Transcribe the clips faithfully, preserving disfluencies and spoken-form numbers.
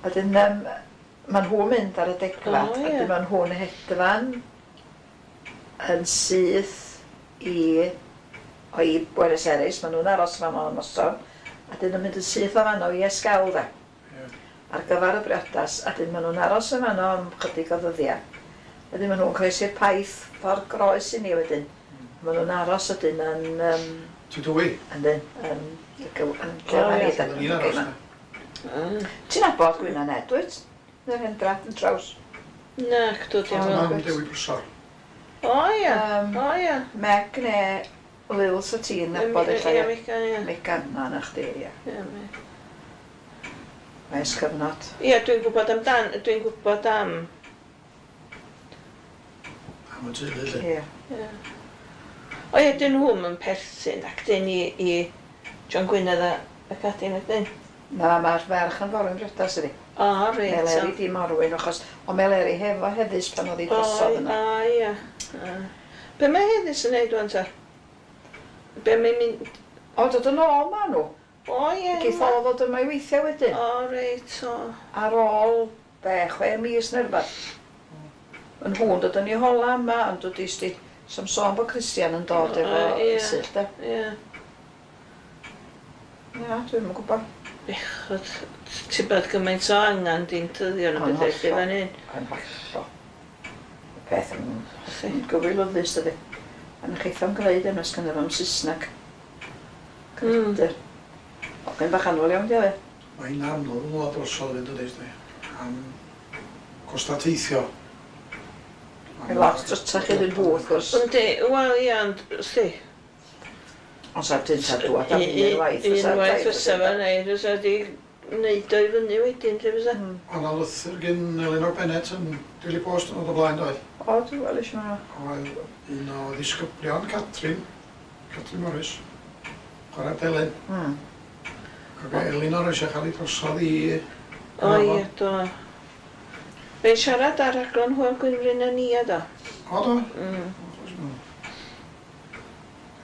A dyn, um, maen nhw'n mynd ar y degfad, O, a ie. dyn maen nhw'n hedfan yn syth i, o i Buenos Aires, maen nhw'n aros fan o'n noson, a dyn nhw'n mynd yn syth o fanno i Esquel de. Ie. Ar gyfer y briodas, a dyn maen nhw'n aros yn fanno am chydig o ddyddiau. Wedyn maen nhw'n croesi'r paith ffordd groes i ni wedyn. Maen nhw'n aros ydyn yn... Um, Ti dwy? Yndyn, yn... yn yn lle O, ma ie. ni de. Oedden ni'n aros na. Ah. Ti'n nabod Gwyna Ned, dwyt? Yr hendra yn traws. Na, cdw Oedd dim. mam Gwyd. Dewi Prysor. O ia, Yym, o ia. Meg neu Lil sa ti'n nabod Ie, ella, ie. Megan, ie. Megan, na, na chdi, ie. Ie, me- Ers cyfnod. Ie, dwi'n gwybod amdan, dwi'n gwybod am. Am y teulu, lle. Ie. Ie. O ie, dyn nhw'm yn perthyn ac dyn i, i John Gwynedd a, ac ati nag dyn. Na, mae'r ferch yn forwyn briodas ydi. O, reit. Meleri di morwyn, achos o Meleri hefo Heddys pan oedd hi drosodd yna. O, ie. O. Be mae Heddys yn neud wan ta? Be mae'n mynd? O, dod yn ôl ma nhw. O, ie. Geith o ddod yma i weithio wedyn. O, reit, o. Ar ôl, be, chwe mis neu rhywbeth. Yn nhw'n dod yn ei hola yma, ond dod i sti, som sôn bod Christian yn dod O, efo ie. Esyllt, de. Ie. Ia, dwi'n yn gwybod. Bechod, ti'n bod gymaint o angan di'n tyddio yn y Yn bethau lle hollol. fan hyn. Yn hollol. Y peth yn yn gywilyddus, dydi. A na cheith o'm gwneud yma sgynno fo'm Saesneg. Mm. Credur. Hogyn bach annwyl iawn, di o fe. Mae'n anodd yn ôl drosodd fynd yn dweud, am costa teithio. Mae'n lot drytach iddyn nhw, wrth gwrs. Yndi, wel ie, ond, sti. Ond sa'r dyn sa'r dŵad am un waith. Unwaith fysa fe neud, fysa di neud o i fyny wedyn, lle fysa. Mm. Ond na lythyr gyn Elinor Bennett yn Daily Post yn dod o blaen, doedd? O, dwi'n weld eisiau yma. Oedd un o ddisgyblion Catrin, Catrin Morris, chwarae delyn. Mm. Ac Elinor eisiau cael ei drosodd i O ie, do. Fe'n siarad ar raglen Hwyl Gwynfryn a Nia, do. O, do? Mm. Dwi'n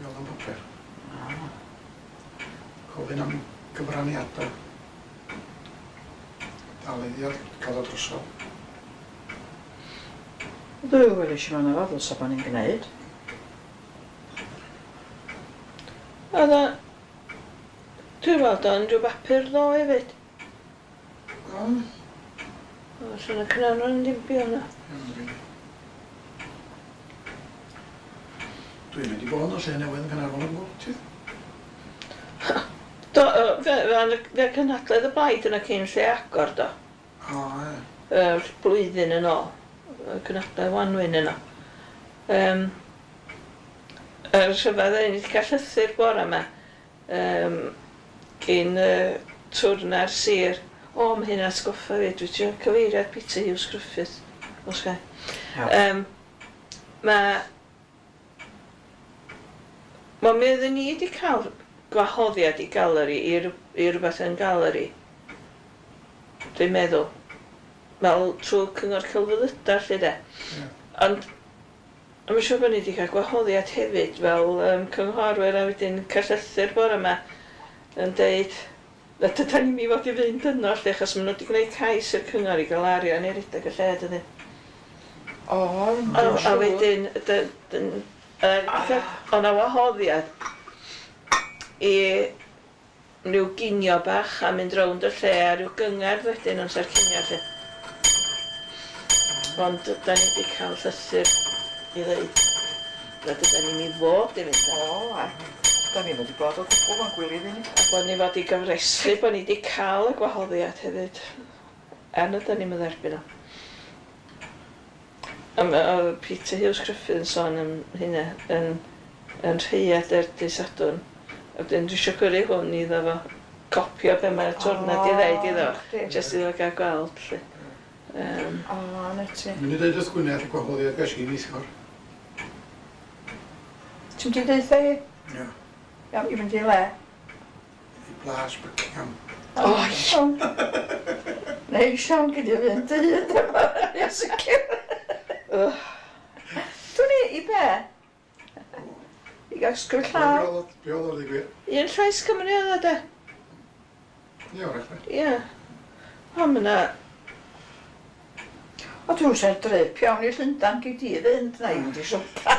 gweld am bapur. Gofyn am gyfraniadau. Dal iddi cael o drosodd. Dwi'n weld eisiau yma fo, ddylsa bod ni'n gwneud. Oedd o... Dwi'n weld o'n rhyw bapur ddo hefyd. O, O, sy'n y Caernarfon ddim byw yna. iawn, Dwi'n mynd i bod yn y lle newydd yn Caernarfon o gwbl, ti? Do, yy, fe, fe, fe cynhadledd y blaid yna cyn lle agor, do. O, ie. Yr blwyddyn yn ôl. Y cynhadledd Wanwyn yna. Um, yr rhyfedd ni wedi cael llythyr bore yma. Um, gyn uh, twrna'r sir. O, mae hyn atgoffa fi. Dwi wedi cyfeiriad Peter Hughes Griffith. Os gai. Iawn. Um, mae... Wel, mi oedden ni wedi cael gwahoddiad i galeri, i, rw- i rhywbeth yn galeri. Dwi'n meddwl. Fel trwy Cyngor Celfyddydau, lle de. Ie. Ond, mae'n siŵr bod ni wedi cael gwahoddiad hefyd fel um, cynghorwyr a wedyn cael llythyr bore yma yn deud na dydan ni'm i fod i fynd yno lle, achos maen nhw wedi gwneud cais i'r cyngor i gael arian i redeg y lle, dydyn. O, A, dwi'n a siŵr. wedyn, dy- dyn- yy, o' 'na wahoddiad i ryw ginio bach a mynd rownd y lle a ryw gyngerdd wedyn amser cinio lle. Ond da ni wedi cael llythyr i ddeud na dydan ni'm i fod i fynd. O, a. Da ni'n wedi bod o gwbl yn gwylio ni. A bod ni fod i gofrestru bod ni wedi cael y gwahoddiad hefyd. Er na da ni'm yn dderbyn o. A ma' oedd Peter Hughes Griffith yn sôn am hynna yn, yn rhaeadr dydd Sadwrn. A wedyn dwi eisiau gyrru hwn iddo fo copio be mae'r twrna di ddeud iddo fo. chdi. Jyst iddo gael gweld lle. Um, O, na ti. Dwi'n mynd i dweud wrth Gwyneth y gwahoddiad ges i neithiwr. Ti'n mynd i deutha hi? Ie. Iawn, i fynd i le? I Blas Buckingham. O, iawn. Neu Sian gyda fynd dy hun efo. Ia, sicr. Dwi'n i, i be? I gael sgwyr llaw. Be oedd o'r digwydd? Un Llais Cymru oedd o de? Ie, wrach. Ie. O, ma' 'na... O, dwi'n siarad drip iawn i Llundain gei di fynd, na i fynd i siopa.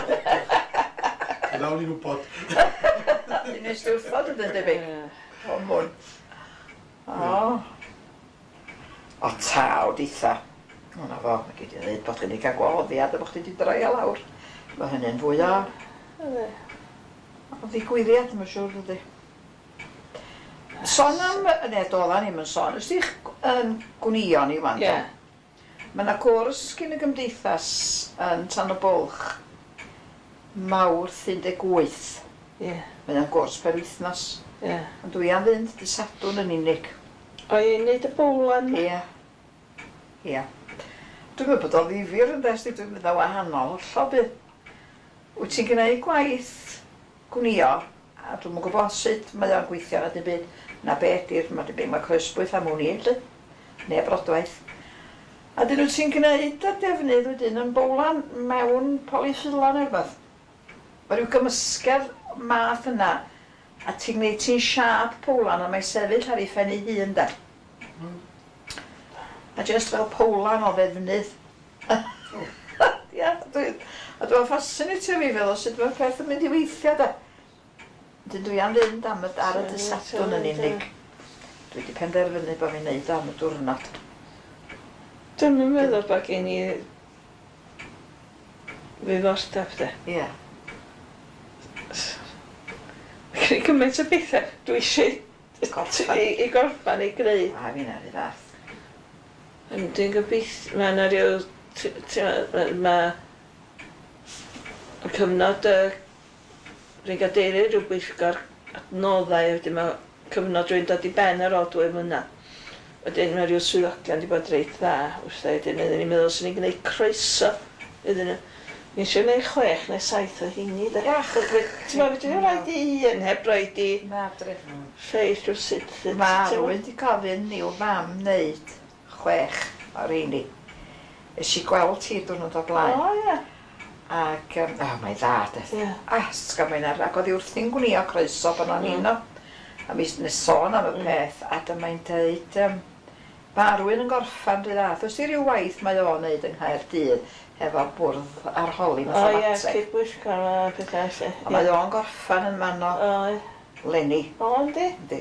Nawn ni'n wybod. Dwi'n nes di wrthod ydyn debyg. O, mwyn. O. O, taw, ditha. O, na fo, mae gei di ddweud bod chi wedi cael gwahoddiad a bod chdi wedi droi lawr. Mae hynny'n fwy o, o ddigwyddiad, mae'n siŵr, dydy. Sôn am, ne, doeddan ni'm yn sôn, ys di'ch yn gwnïo ni wan, Ie. Mae yna gwrs gyn y gymdeithas yn Tan y Bwlch, Mawrth un deg wyth. Ie. Mae o'n gwrs per wythnos. Ie. Ond dwi am fynd dy Sadwrn yn unig. O, i wneud y bowlan? Ie. Ie. Dwi'n meddwl bod o ddifyr yn dest, dwi'n mynd o wahanol hollol bydd. Wyt ti'n gwneud gwaith gwnïo, a dwi'm yn gwybod sut mae o'n gweithio na dim byd, na be ydi'r, mae debyg mae croesbwyth am wn i, lly, neu brodwaith. A dyn nhw ti'n gwneud y defnydd wedyn yn bowlan mewn polyffilan neu rhywbeth. Mae rhyw gymysgedd math yna, a ti'n gwneud ti'n siâp powlan a mae'n sefyll ar ei phen ei hun de. Mm. A just fel powlan o ddefnydd. Ia, dwi, a dwi'n fascinatio fi feddwl sut mae'r peth yn mynd i weithio de. Dyn dwi am fynd am y, ar y dydd Sadwrn yn unig. Dwi wedi penderfynu bod fi'n neud o am y diwrnod. Dwi'm yn meddwl bod gen i ddiddordeb de. Ie. Mae gen i gymaint o bethau dwi eisiau Gorffan. i, i gorffan i greu. A fi'n ar ei fath. Ond dwi'n gobeithio, mae yna rhyw, t- t- ma' ma' y cyfnod y rwy'n gadeirydd rhyw bwyllgor adnoddau, wedyn mae cyfnod rwy'n dod i ben ar ôl dwy mlynedd. Wedyn mae rhyw swyddogion wedi bod reit dda wrtha i, wedyn oedden ni'n meddwl swn i'n gwneud croeso iddyn nhw. Ni eisiau gwneud chwech neu saith o heini de. Iach. Ti'n meddwl, fedri roid i un heb roid i Na, dri. lleill rywsut. Mae rhywun wedi gofyn i'w fam wneud chwech o'r rheini. Es i gweld hi diwrnod o blaen. O ie. Ac, um, oh, mae'n dda, de. Ie. A, sgan mae'n ar, ac oedd hi wrthi'n gwnïo croeso pan o'n Mm. i'n o. A mi nes sôn am y Mm. peth, a dyma'n deud, um, mae rhywun yn gorffan rhy dda. Oes i ryw waith mae o'n neud yng Nghaerdydd efo bwrdd arholi O ie, mathemateg. cyd-bwyllgor a pethau felly. A mae o'n gorffan yn man o O, ie. Lenny. O, yndi? Yndi.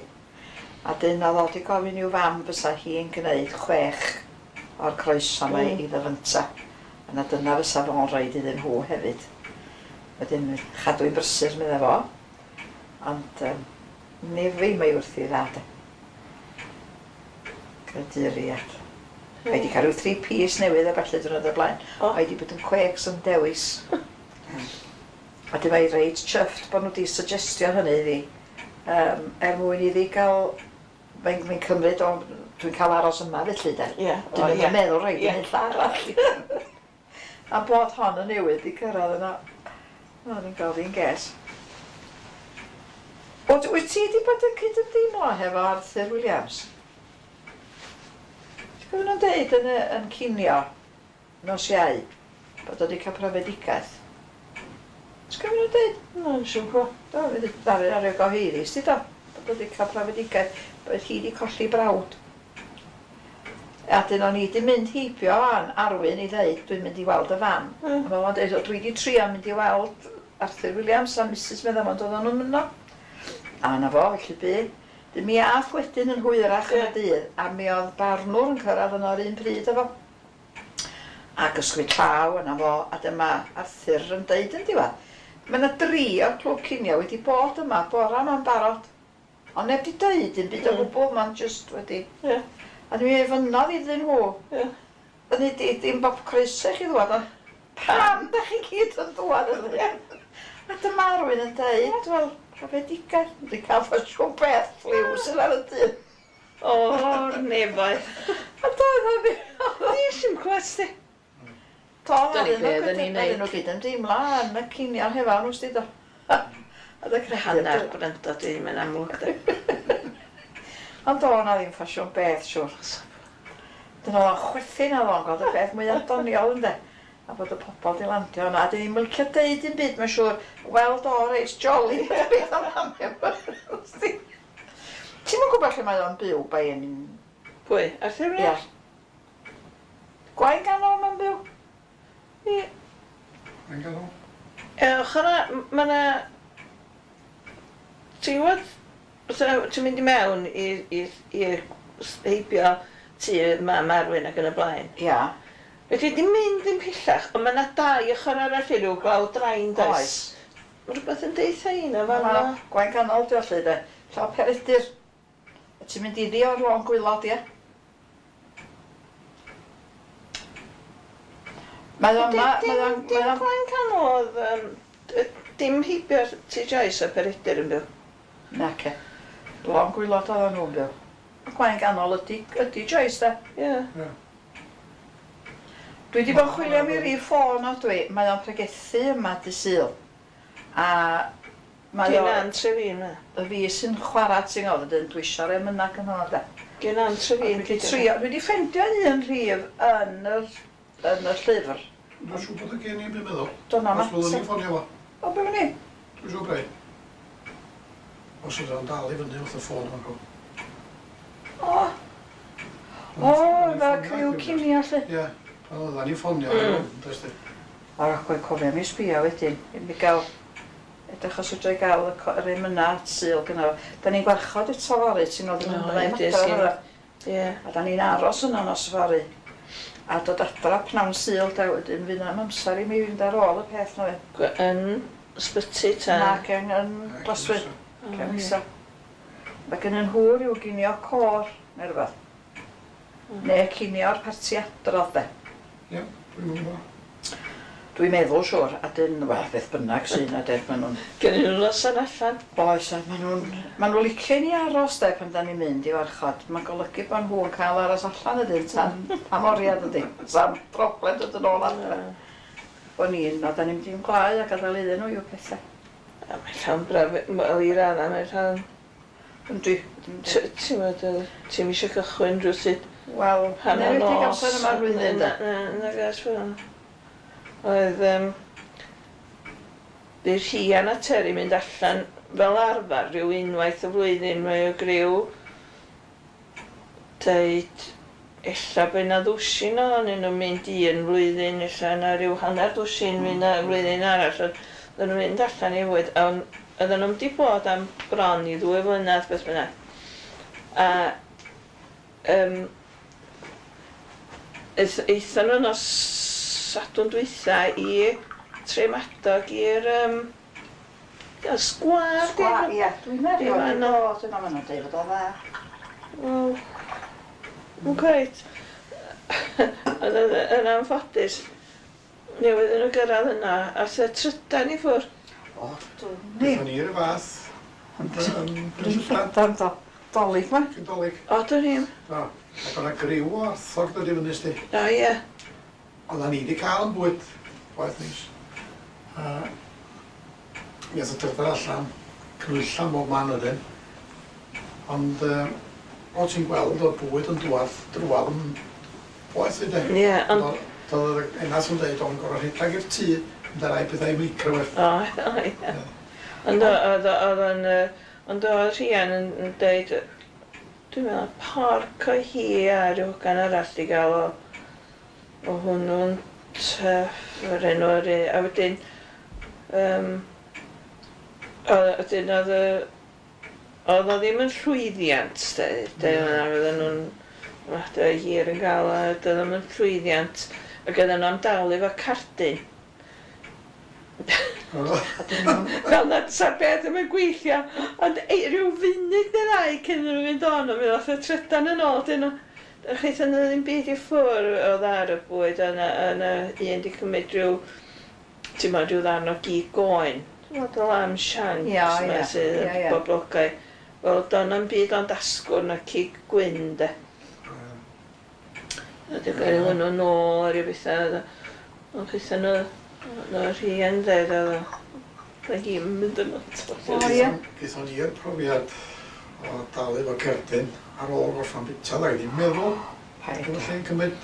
A dyn oedd o 'di gofyn i'w fam fysa hi'n gwneud chwech o'r croeso yma Mm. iddo fynta. A na dyna fysa fo'n rhoid iddyn nhw hefyd. Wedyn chadw i'n brysur medda fo. Ond um, nefi mae wrthi dda de. Creaduriad. Mae wedi cael rhyw three piece newydd a ballu diwrnod o'r blaen. O. Mae wedi bod yn cwegs yn dewis. A dyma i reit chuffed bod nhw wedi suggestio hynny iddi. Um, er mwyn iddi gael... Mae'n mae cymryd o... Dwi'n cael aros yma felly de. Ie. O, Dwi'n ie. yn meddwl rhaid Ie. yn lle arall. A bod hon yn newydd i cyrraedd yna. O, ni'n gael fi'n ges. O, wyt ti wedi bod yn cydymdeimlo hefo Arthur Williams? Ti'n cofio nhw'n deud yn, y, yn cinio nos Iau bod o wedi cael profedigaeth? Ti'n cofio nhw'n deud? Na, siŵr gwybod. Do, fydd y ddaru ar ei gyhoeddus, ti do? Bod o wedi cael profedigaeth, bod hi wedi colli brawd. A dyn o'n i wedi mynd heibio an Arwyn i ddeud, dwi'n mynd i weld y fam. Mm. A mae o'n deud, "O, dwi wedi trio mynd i weld Arthur Williams a Mrs Meddamon, doedden nhw'n yno. A na fo, felly bu. Dyn mi ath wedyn yn hwyrach yn y Ie. dydd, a mi oedd barnwr yn cyrraedd yno yr un pryd efo. Ac ysgwyd llaw yna fo, a dyma Arthur yn deud yn diwedd. Mae yna dri o'r clwb cinio wedi bod yma bora yma'n barod. Ond neb wedi deud un byd o Mm. gwbl, ma'n just wedi... Ie. A dwi'n ei fynodd iddyn nhw. Ie. Hynny di, dim bob croeso i chi ddwad, ond pam da chi gyd yn dŵad yna? A dyma rhywun yn deud, wel, profedigaeth, wedi cael ffasiwn beth ffliw sydd ar y dyn. O'r nefoedd. A doedd o fi. Nes i'm clywed sti. Do, Dyna oedden be nhw oedden ni'n gyd- oedden nhw gyd yn deimlo yn y cinio hefo nhw, sti do. A dy credu- Hanner gwrando dwi ddim yn amlwg de. Ond do, na ddim ffasiwn beth, siwr. Dyna oedd o'n chwerthin oedd o'n gweld y peth mwyaf doniol, ynde. A bod y pobol di landio yna. A dyn ni'n licio deud un byd, mae'n siŵr, wel do, reit jolly, beth am am. Ti'm yn gwybod lle mae o'n byw by yn Pwy? Arthur Ia. Williams? Gwaun Ganol mae'n byw? Ie. Mae'n ganol. Ie, ochr yna, ma' 'na... Ti'n gwybod, fatha, ti'n mynd i mewn i, i, i heibio tŷ mam Arwyn ac yn y blaen. Ia. Felly di mynd yn pellach, ond mae yna dau ochr arall i ryw glawdd drain, does? Oes. Mae rhywbeth yn deutha i na fan Ma' 'na. Gwaun Canol di o lly de. Llaw Peredur. A ti'n mynd iddi o'r lôn gwylod, ie? Mae o'n ma, mae o'n, Dim mae o'n, Gwaun Canol oedd, yym, d- dim heibio'r tŷ Joyce a Peredur yn byw. Nace. Lôn gwylod oedden nhw'n byw. Gwaun Ganol ydi, ydi Joyce de. Ie. Ie. Dwi wedi bod yn chwilio am ei rif ffôn o dwi. Mae o'n pregethu yma dy Sul. A mae Gyn o, Ann Trefin, ma. y fi sy'n chwarae ti'n gwybod, wedyn dwi eisiau'r emynau gynno fo de. Gyn Ann A Trefin. Dwi wedi trio, dwi wedi ffeindio un rhif yn yr, yn y llyfr. Dwi'n siŵr bod y gen i'n meddwl. Dyna Os fyddwn ma. ni'n ffonio fo. O, be wni? Dwi'n siŵr brei. Os oedd o'n dal i fyny wrth y ffôn yma go. O, o, fel criw cinio lly. Ie. Pan oedden ni'n ffonio. Mm. Does di. O, rhaid cofio mi sbio wedyn. I mi gael, edrych os ydw i gael y co- yr emynau Sul gynno fo. Da ni'n gwarchod eto fory, ti'n gwybod, yn O, ymlaen ie, adra sgin- fory. Ie. A da ni'n aros yno nos fory. A dod adra pnawn Sul, da wedyn fydd na'm amser i mi fynd ar ôl y peth na fe. Gwe- Yn ysbyty ta. Nac yn, yn Glaswyn, O, cefn ie. isa. Mae gen nhw rhyw ginio côr, neu rhywbeth. Mm. Neu cinio'r parti adrodd de. Ie, dwi'n gwybod. Dwi'n meddwl siwr, a dyn, wel, beth bynnag sy'n na de, maen nhw'n... Gynnu nhw noson allan. Oes, a maen nhw'n... Maen nhw'n licio i ni aros de pan da ni'n mynd i warchod. Mae'n golygu bod nhw'n cael aros allan ydyn tan am oriad ydy. Sam broblem dod yn ôl adre. Bo ni'n, na da ni'n mynd i'n glau a gadael iddyn nhw i'w pethau. A mae llawn braf, wel i raddau mae llawn... Yndi. Yndi. T- Ti'n meddwl, ti'n eisiau cychwyn rhywsut Wel, hanner newid i nos. amser yma'r flwyddyn de. Na, na, na, gas fel. Oedd, um, bu Rhian a Terry mynd allan fel arfer rhyw unwaith y flwyddyn mae o griw deud ella bod yna ddwsin ohonyn nhw'n mynd un flwyddyn, ella yna rhyw hanner dwsin fynd na flwyddyn arall. Ond Oedden nhw'n mynd allan i fwyd, ond oedden nhw'n di bod am bron i ddwy flynedd beth bynnag. A um, aethon nhw nos Sadwrn dwytha i Tremadog i'r um, ia, sgwâr. Sgwâr, ie, dwi'n meddwl Ie, wedi ma' nhw- bod yna, maen nhw'n deud fod o dda. Wel, yn cweit. Ond yn, yn anffodus, newydd nhw gyrraedd yna, a the trydan i ffwrdd. O, dwi'n ni. Gaethon ni'r fath. Yn Brynllydan. Dan do. Dolig ma. Cyn Dolig. O, dwn i'm. Do. Ac o'na griw o arthog dod i fyny sti. O, ie. Oedden ni wedi cael yn bwyd. Gwaith neis. A mi ath y trydan allan, cnwylla bob man wedyn. Ond yy, o ti'n gweld o'r bwyd yn dŵad drwadd yn boeth i de. Ie, ond... Doedd yr enas yn dweud o'n gorau rhedeg i'r tŷ, mynd â rai pethau i microwave. O, o, ie. Ond o- oedd o- oedd o'n... yy, Ond oedd Rhian yn yn deud, dwi'n meddwl, porc o hi a rhyw hogan arall di gael o, o hwnnw'n tyff, yr enw yr un. A wedyn, um, wedyn oedd y, oedd o ddim yn llwyddiant, de, de, Na. oedden nhw'n, oedd hir yn gael, a doedd o ddim yn llwyddiant, ac oedden nhw am dalu efo cardyn. Fel na sa'r beth ddim yn gweithio, ond ei, rhyw funud neu ddau cyn iddyn nhw fynd on, ond mi ddoth y trydan yn ôl, dyn nhw. Chwaith yna ddim byd i ffwr oedd ar y bwyd, yna, yna un di cymryd rhyw, ti'n meddwl, rhyw ddarn o gig oen. Ti'n meddwl, y lamb shanks Ia, yma ia, sydd ia, yn ia. boblogaidd. Wel, do'n na'm byd ond asgwrn a cig gwyn, de. A di gael hwnnw nôl a rhyw bethau. Ond chwaith yna, yna rhian dweud, oedd o. Oedd hi'n mynd yn O, o. ie. Gaethon ni'r profiad o dalu efo cerdyn ar ôl gorffan bita, da ddim meddwl Paid. bod y lle'n cymryd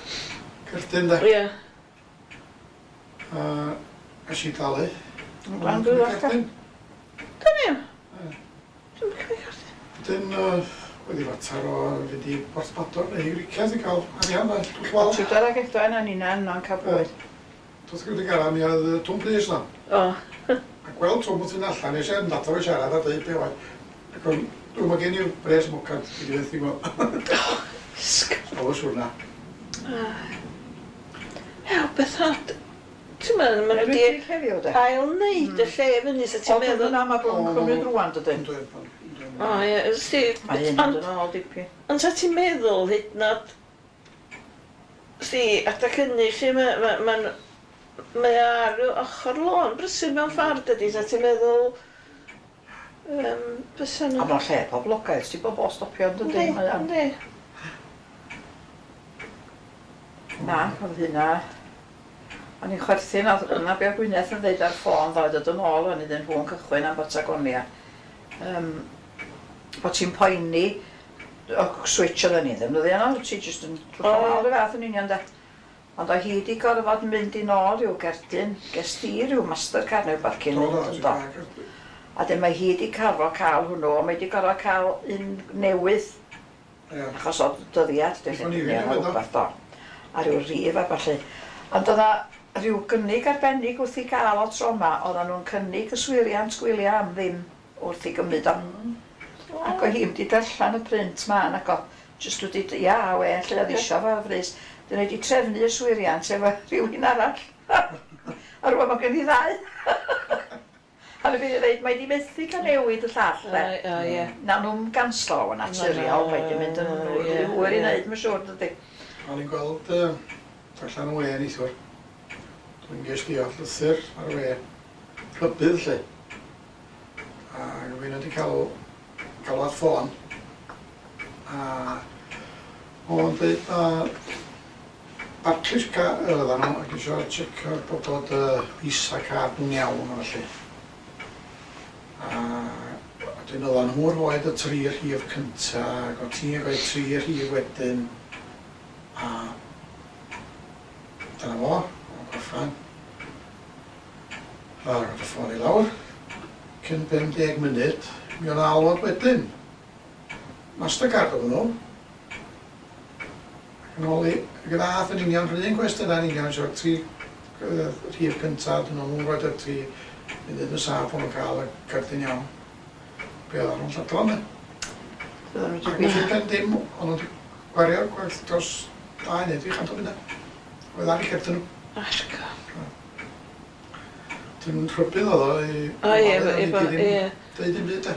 cerdyn de. Ie. A es i dalu. Yn Cymryd cerdyn. Dwn i'm. Ie. Dwi'n cymryd cerdyn. Wedyn, yy, Wedi fater o fynd i Porthmadog neu i Gricieth i gael arian a twll wal. Tudor ag Edwen a nina yno'n cael bwyd. Wrth gwrs gara mi oedd Twm Prys na. O. A gweld Twm wrth fynd allan, nes i mynd ato fo siarad a dweud be oedd. Ac o'n, dwi'n ma gen i'r bres mwcan, dwi wedi fethu gweld. Sg- Oedd y siwrna. Ew, beth od. Ti'n meddwl, maen nhw wedi Enwedig heddiw de. ail wneud y lle fyny, so ti'n Oedd meddwl... hwnna mae bod yn cymryd rwan dydyn. Yndw, yndw. O, ie, ysdi... Mae hyn yn Ond dod yn ôl dipyn. ond sa ti'n meddwl hyd yn oed... Sti, adag hynny, lle mae ma, ma, mae o ar ochr lôn brysur mewn ffordd dydy, sa ti'n meddwl... Um, bysa A nhw... mae'n lle poblogaidd, ti'n bod bod stopio yn Yndi, dydyn. Mae o'n- yndi. Na, oedd hynna... O'n i'n chwerthin, oedd yna be oedd Gwyneth yn dweud ar ffôn ddoe, dod yn ôl o'n iddyn nhw'n cychwyn am Batagonia. Um, bod ti'n poeni, o switch oedden ni ddim ddyddi yno, ti jyst yn O, drwch ie. yn ôl y fath yn union de. Ond oedd hi wedi gorfod mynd i nôl rhyw gerdyn, ges di rhyw Mastercard neu rhywbeth cyn Do, do, mynd yn do. A dyn mae hi wedi carfod cael hwnnw, ond mae wedi gorfod cael un newydd, Ie. achos oedd dyddiad, dwi'n O'n i lle, ddim yn rhywbeth do. A rhyw rif a ballu. Ond oedd rhyw gynnig arbennig wrth i gael o tro yma, oedden nhw'n cynnig yswiriant gwyliau am ddim wrth i gymryd o. Ac oedd hi'n wedi darllen y print ma, ac oedd jyst wedi, ia, well, lle oedd isio fo frys. Dyn nhw wedi trefnu yswiriant efo rhywun arall. A rwan mae gen i ddau. A nhw wedi dweud, mae di methu cael newid y llall, de. O, ie. Na nhw'n ganslo o'n naturiol, Na, mae di mynd yn ie, rhy hwyr i ie. wneud, mae'n siŵr, dydy. O'n i'n gweld yy, allan y we neithiwr. Dwi'n ges di o llythyr ar y we. Rhybudd lle. A rhywun wedi cael galwad ffôn. A o'n dweud na Barclays ca oedden nhw ac eisiau checio bod bod y Visa card nhw'n iawn a felly. A wedyn oedden nhw rhoid y tri rhif cynta ac o ti'n rhoi tri rhif wedyn. A dyna fo, o'n gorffan. A roedd y ffôn i lawr. Cyn pum deg munud, mi o'n alwad wedyn. Mastercard oedd nhw. Ac yn ôl i, ac yn ath yn union, rhywun un cwestiynau yn union, eisiau tri yy, rhif cynta, dyn nhw'n rhoi y tri munud yn saff o'n nhw'n cael y cerdyn iawn. Be oedden nhw'n lladron, ne? Oedden nhw Ac wedi felly pen dim, o'n nhw wedi gwario gwerth dros dau neu dri chant o bunna. Oedd ar eu cerdyn nhw. Argo. Dim rhybudd oedd o i... O, ie, o'n i efo, ddim ie. Deud dim byd, de.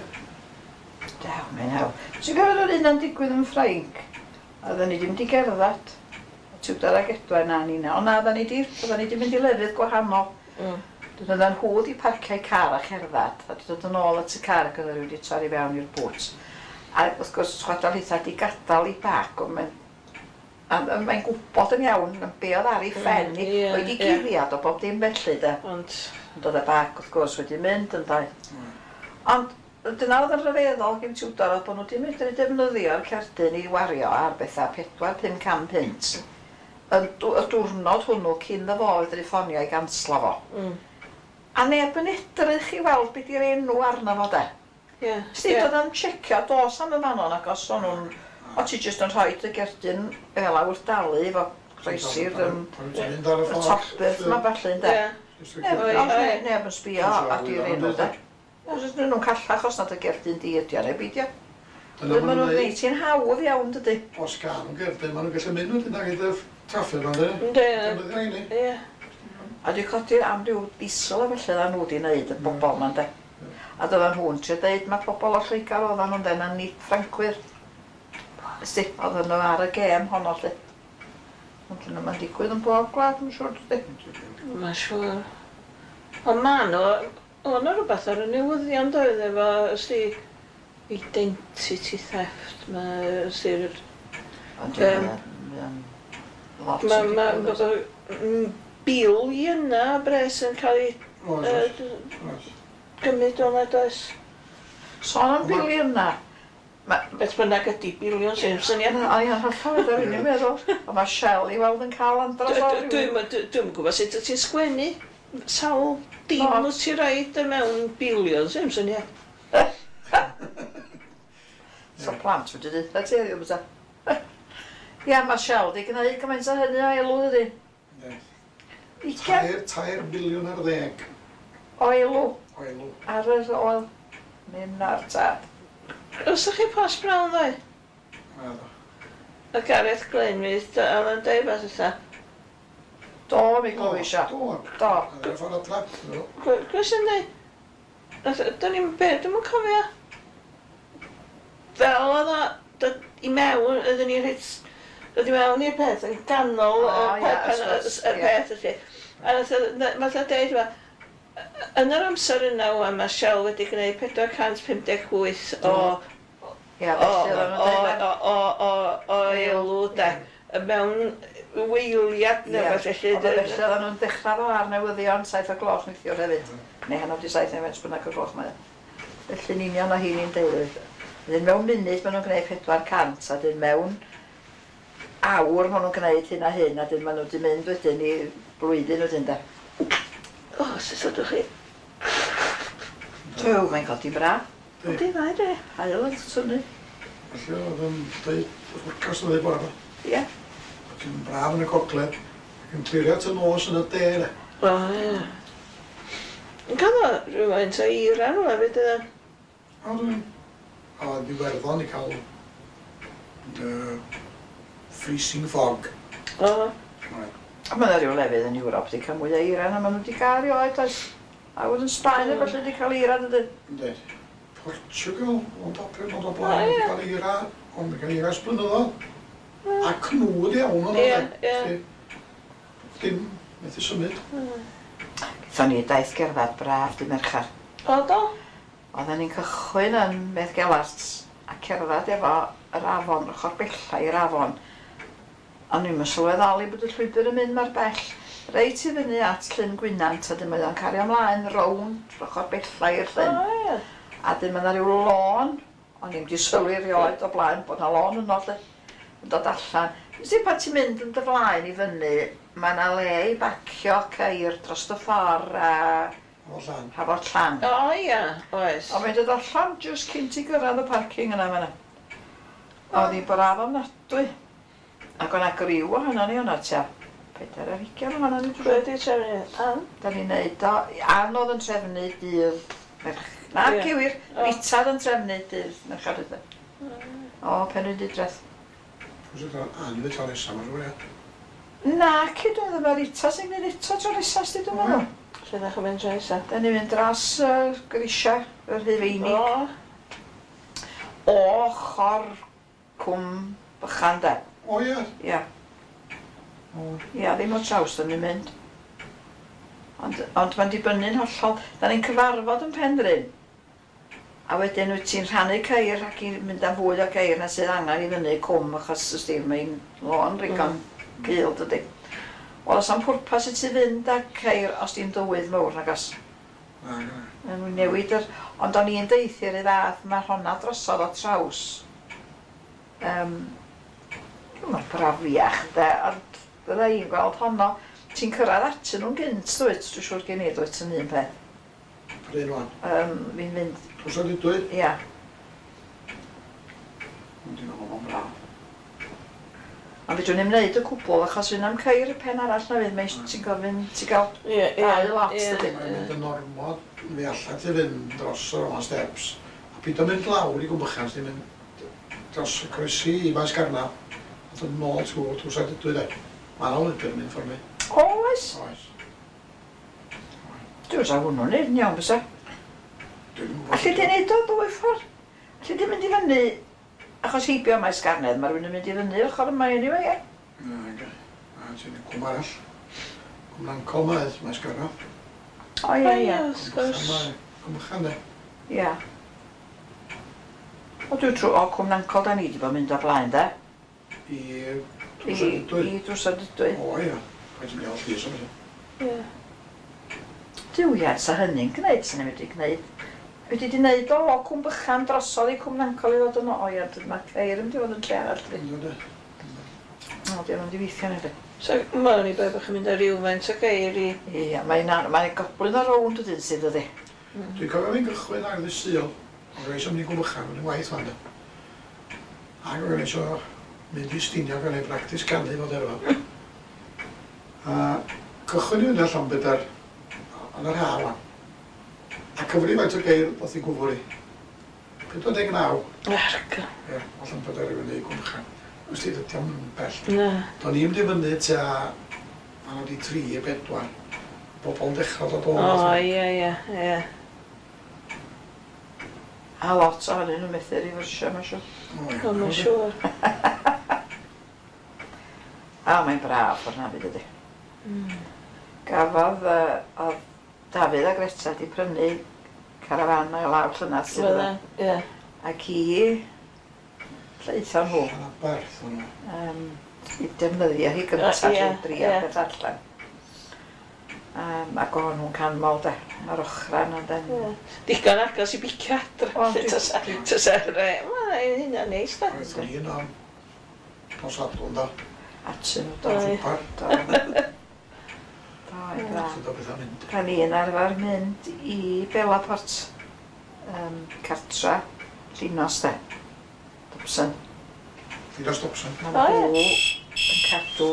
Dew, mae'n haw. Ti'n cofio yr un o'n digwydd yn Ffrainc? Oedden ni ddim wedi gerdded. Tudor ag Edwen a nina. Ond na, oedden ni di, oedden ni di mynd i lefydd gwahanol. Mm. Dyn oedden nhw wedi parcio'u car a cherdded, a wedi dod yn ôl at y car ac oedden nhw wedi torri fewn i'r bŵt. A wrth gwrs, chwadal hitha di gadael i bag, ond mae'n a a mae'n gwybod yn iawn yn be oedd ar ei phen Mm, i, ie, wedi ie. guddiad o bob dim felly de. Ond, Ond oedd y bag wrth gwrs wedi mynd yn dau. Ond dyna oedd yn rhyfeddol gen Tudor oedd bod nhw wedi medru defnyddio'r cerdyn i wario ar bethau pedwar, pum can punt. Y dw- y diwrnod hwnnw cyn iddo fo fedru ffonio i ganslo fo. mm, A neb yn edrych i weld be di'r enw arno fo de. ie. Sti, ie. oedd yn checio dos am y fanon ac os o'n nhw'n... O ti jyst yn rhoi y gerdyn fel wrth dalu efo croesi'r yym, O'n i'n mynd ar y y ffordd. topbeth yma ballu ynde. Ie. Neb, Oi, ond oi. ne- neb yn sbio at i'r enw de. Os ydyn nhw'n callach os nad y gerdyn di ydi o neu beidio. Dyna Maen maen nhw'n nhw'n gwneud ti'n hawdd iawn dydy. Os gael nhw'n gerdyn, maen nhw'n gallu mynd wedyn ag iddo traffic ond e. Yndi, Defnyddio rheini. ie. A dwi codi am ryw diesel a felly oedden nhw wedi wneud y bobl ma'n de. A doedden nhw'n trio deud mae pobl o Lloegr oedden nhw'n de, na nid Ffrancwyr. Ysdi, oedden nhw ar y gêm honno lle. Ond dyna mae'n digwydd yn bob gwlad, mae'n siŵr dydy. Mae'n siŵr. Ond ma' nhw, oedd 'na rhywbeth ar y newyddion doedd efo, ysdi, identity theft, mae, ysdi'r... Ond Yym, dwi'n lot Mae yn ma, digwydd. ma, biliynau o bres yn cael ei Oes, yy, oes, d- oes. gymryd o'n oes. Sôn am biliynau. Ma- Beth bynnag ydy biliwn sy'n syniad. O'n i'n hollol oedd yr unig meddwl. Ond mae Shell i weld yn cael andros o ryw- Dwi'n dwi'n gwybod sut wyt ti'n sgwennu sawl dim No. wyt ti roid mewn biliwn sy'n syniad. So plant wedi dweud, ti heddiw bysa. Ia, mae Shell di gwneud gymaint o hynny o elw, dydy. Yndi. Ugain Tair, tair biliwn ar ddeg o elw o elw. Ar yr oil. Mynd ar tad. Os chi Post Brown ddoe? Naddo. Y Gareth Glyn fydd, oedd yn deud beth yna. Do, mi glywis o. Do. Do. Ar y ffordd adra. Do. Glywis yn deud? Do'n i'n be, dwi'm yn cofio. Fel oedd o dod i mewn, oedden ni reit, dod i mewn i'r peth yn ganol O, y ie, pe- pen- wrth gwrs, y ie. peth felly. A nath o- na- nath o deud, "Wel, yn yr amser yna ŵan mae Shell wedi gwneud pedwar cant pum deg wyth o Ia, o felly oedden o nhw'n deud. o o o o elw de mewn weiliad neu Ie, beth felly. Ond felly oedden nhw'n dechrau fo ar newyddion saith o gloch neithiwr hefyd. Neu hanner di saith neu faint bynnag o gloch mae o. Felly'n union o hi'n deud. Wedyn mewn munud maen nhw'n gwneud pedwar cant a dyn mewn awr maen nhw'n gwneud hyn a hyn a dyn maen nhw wedi mynd wedyn i blwyddyn wedyn de. O, sut ydych chi? Duw, mae'n codi bra. Yndi, mae de. Haul yn tynnu. Felly oedd yn dweud y forecast yn dweud bore yma. Ie. Ac yn braf yn y gogledd. Ac yn clirio at y nos yn y de. De. O, ie. Yn cael o rhywfaint o eira nhw hefyd, ydyn. A dwi'n... A oedd Iwerddon i cael uh, freezing fog. O, Oedd. A mae yna rhyw lefydd yn Ewrop wedi cael mwy o eira na maen nhw wedi cael erioed, oes. A wedyn Sbaen mm. felly wedi cael eira, dydyn. Yndi. Portugal, ond o ond o blaen, O, ie. wedi cael eira, ond wedi cael eira ers blynyddoedd. A cnwd iawn o'n Ie, de. ie. Felly, dim methu symud. Gaethon ni daith gerdded braf dy Mercher. O, do? Oedden ni'n cychwyn yn Beddgelert a cerdded efo yr afon, ochr bella i'r afon. O'n i'n sylweddoli bod y llwybr yn mynd mor bell. Reit i fyny at Llyn Gwynant a dyn mae o'n cario ymlaen rownd ochr bella i'r O, llyn. ie. A dyn mae yna rhyw lôn, o'n i'm di sylwi erioed o blaen bod 'na lôn yno lle, yn dod allan. Nes i pan ti'n mynd yn dy flaen i fyny, mae yna le i bacio ceir dros y ffordd a O llan. Hafod Llan. O, ie, oes. A mae'n dod allan jyst cyn ti gyrraedd y parking yna fan'na. Oedd hi'n braf ofnadwy. Ac o'na griw ohono ni o'na tua pedair ar hugain ohono ni. Pwy wedi trefnu? Ann? Da ni'n neud o. Ann oedd yn trefnu dydd merch. Na, Ie. cywir. O. Rita oedd yn trefnu dydd Mercher ydw. O, Penrhyndeudraeth. Pwy sy'n cael Ann wedi cael nesaf, mae'n siŵr, ie. Na, cyd oedd yma Rita sy'n gwneud eto tro nesaf, sti dwi'n meddwl. Lle ddech chi'n mynd tro nesa? Da ni'n mynd dros uh, grisiau, y Rhufeinig. O, O ochr Cwm Bychan de. O ie. Ia. O, Ia, ddim o traws da ni'n mynd. Ond, ond mae'n dibynnu'n hollol. Da ni'n cyfarfod yn Penrhyn. A wedyn wyt ti'n rhannu ceir ac i'n mynd am fwy o ceir na sydd angen i fyny cwm achos ysdi mae'n lôn rigon mm. cul dydy. Wel, oes am pwrpas i ti fynd â ceir os di'n dywydd mawr nag os. Na, na. Maen nhw'n newid yr... Ond o'n i'n deithio'r un fath, mae honna drosodd o traws. Um, Mae'n brafiach, de, ond fydda i'n gweld honno. Ti'n cyrraedd atyn nhw'n gynt, dwyt? Dwi'n siŵr gen i, dwyt, yn un peth. Pryn wan. Um, fi'n mynd, Pwy sy'n dweud? ia. Dwi'n meddwl bod o'n braf. Ond fedrwn ni'm wneud y cwbl achos fydd na'm ceir y pen arall na fydd, mae ti'n gofyn, ti'n gael ie, ie. dau lot, ie. dydi? Mae'n mynd yn ormod, fe allan ti fynd dros y Roman Steps. A pido mynd lawr i Gwmbychan, ti'n mynd dros y croesi i Faes Garnaf. A dod nôl trwy drws ar dydwy de. Mae yna lwybr yn mynd ffordd mi. O, oes? Oes. Dwi'n sa hwnnw'n neud yn iawn, bysa. Dwi'n gwybod. Alli di neud o ddwy ffordd? Alli di mynd i fyny, achos heibio Maes Garnedd, mae rhywun yn mynd i fyny ochr yma anyway, ie? Na, ga. A ti'n cwm arall. Cwm Nancol mae, Maes Garnaf. O, ie, O, ie. ie, wrth gwrs. Cwm Bychan de. Ie. O, dwi'n trwy, o, Cwm Nancol da ni wedi bod mynd o blaen, de? I I, drws ar dydwy. i drws ar dydwy. O ie. Paid yn gael llys am hynny. Ie. Duw, ie, sa hynny'n gwneud, sa ni'n wedi gwneud. Wedi di wneud o, o Cwm Bychan drosodd i Cwm Nancol i ddod yn o, o ie, mae ceir yn mynd i fod yn lle arall, dydi. Ynddo de. O, di o'n mynd i weithio ni, So, mae'n i beth bod chi'n mynd â rhywfaint o geir i. Ie, mae'n mae'n goblin o rownd wedyn sydd ydi. Dwi'n cofio fi'n gychwyn ar ddydd Sul, ond reis am mynd i Gwm Bychan, yn waith fan de. Ac o'n eisiau mynd i Stiniog yn ei bractis canu fod efo. A cychwyn i fyny allan Llanbedr yn yr ha' wan. A cyfri faint o geir ddoth i gwfwr i. pedwar deg naw. Argo. Ie, o Llanbedr i fyny i Gwmchan. Wst ti, dydy o'm bell. Na. Do'n i'm di fyny tua pan oedd i tri i bedwar. Bobl yn dechrau dod o. O, ie, ie, ie. A lot ohonyn nhw'n methu rifyrsio, mae'n siŵr. O, ie. O, mae'n siŵr. A mae'n braf o'r nafyd ydy. Mm. Gafodd uh, oedd Dafydd a Greta di prynu carafan o'i lawr llynedd sydd Fydda, ie. Ac i lleithon nhw Llanaberth o'n nhw. um, i defnyddio hi gyntaf Yy, ie, i drio ie. beth allan. Um, ac o'n nhw'n canmol de, mae'r ochra yna'n den. Ie. Digon agos i bicio adra. O, dwi- Tysa, tysa, re, mae hynna'n neis da. Oeddwn i yno am nos Sadwrn da. Atyn nhw do. Ie. Swper. Do. Do, i braf. Sut o bethau'n mynd. Pan i'n arfer mynd i Bellaport, um, cartra, Llinos de, Dobson. Llinos Dobson. Mae O, ie. nhw yn cadw,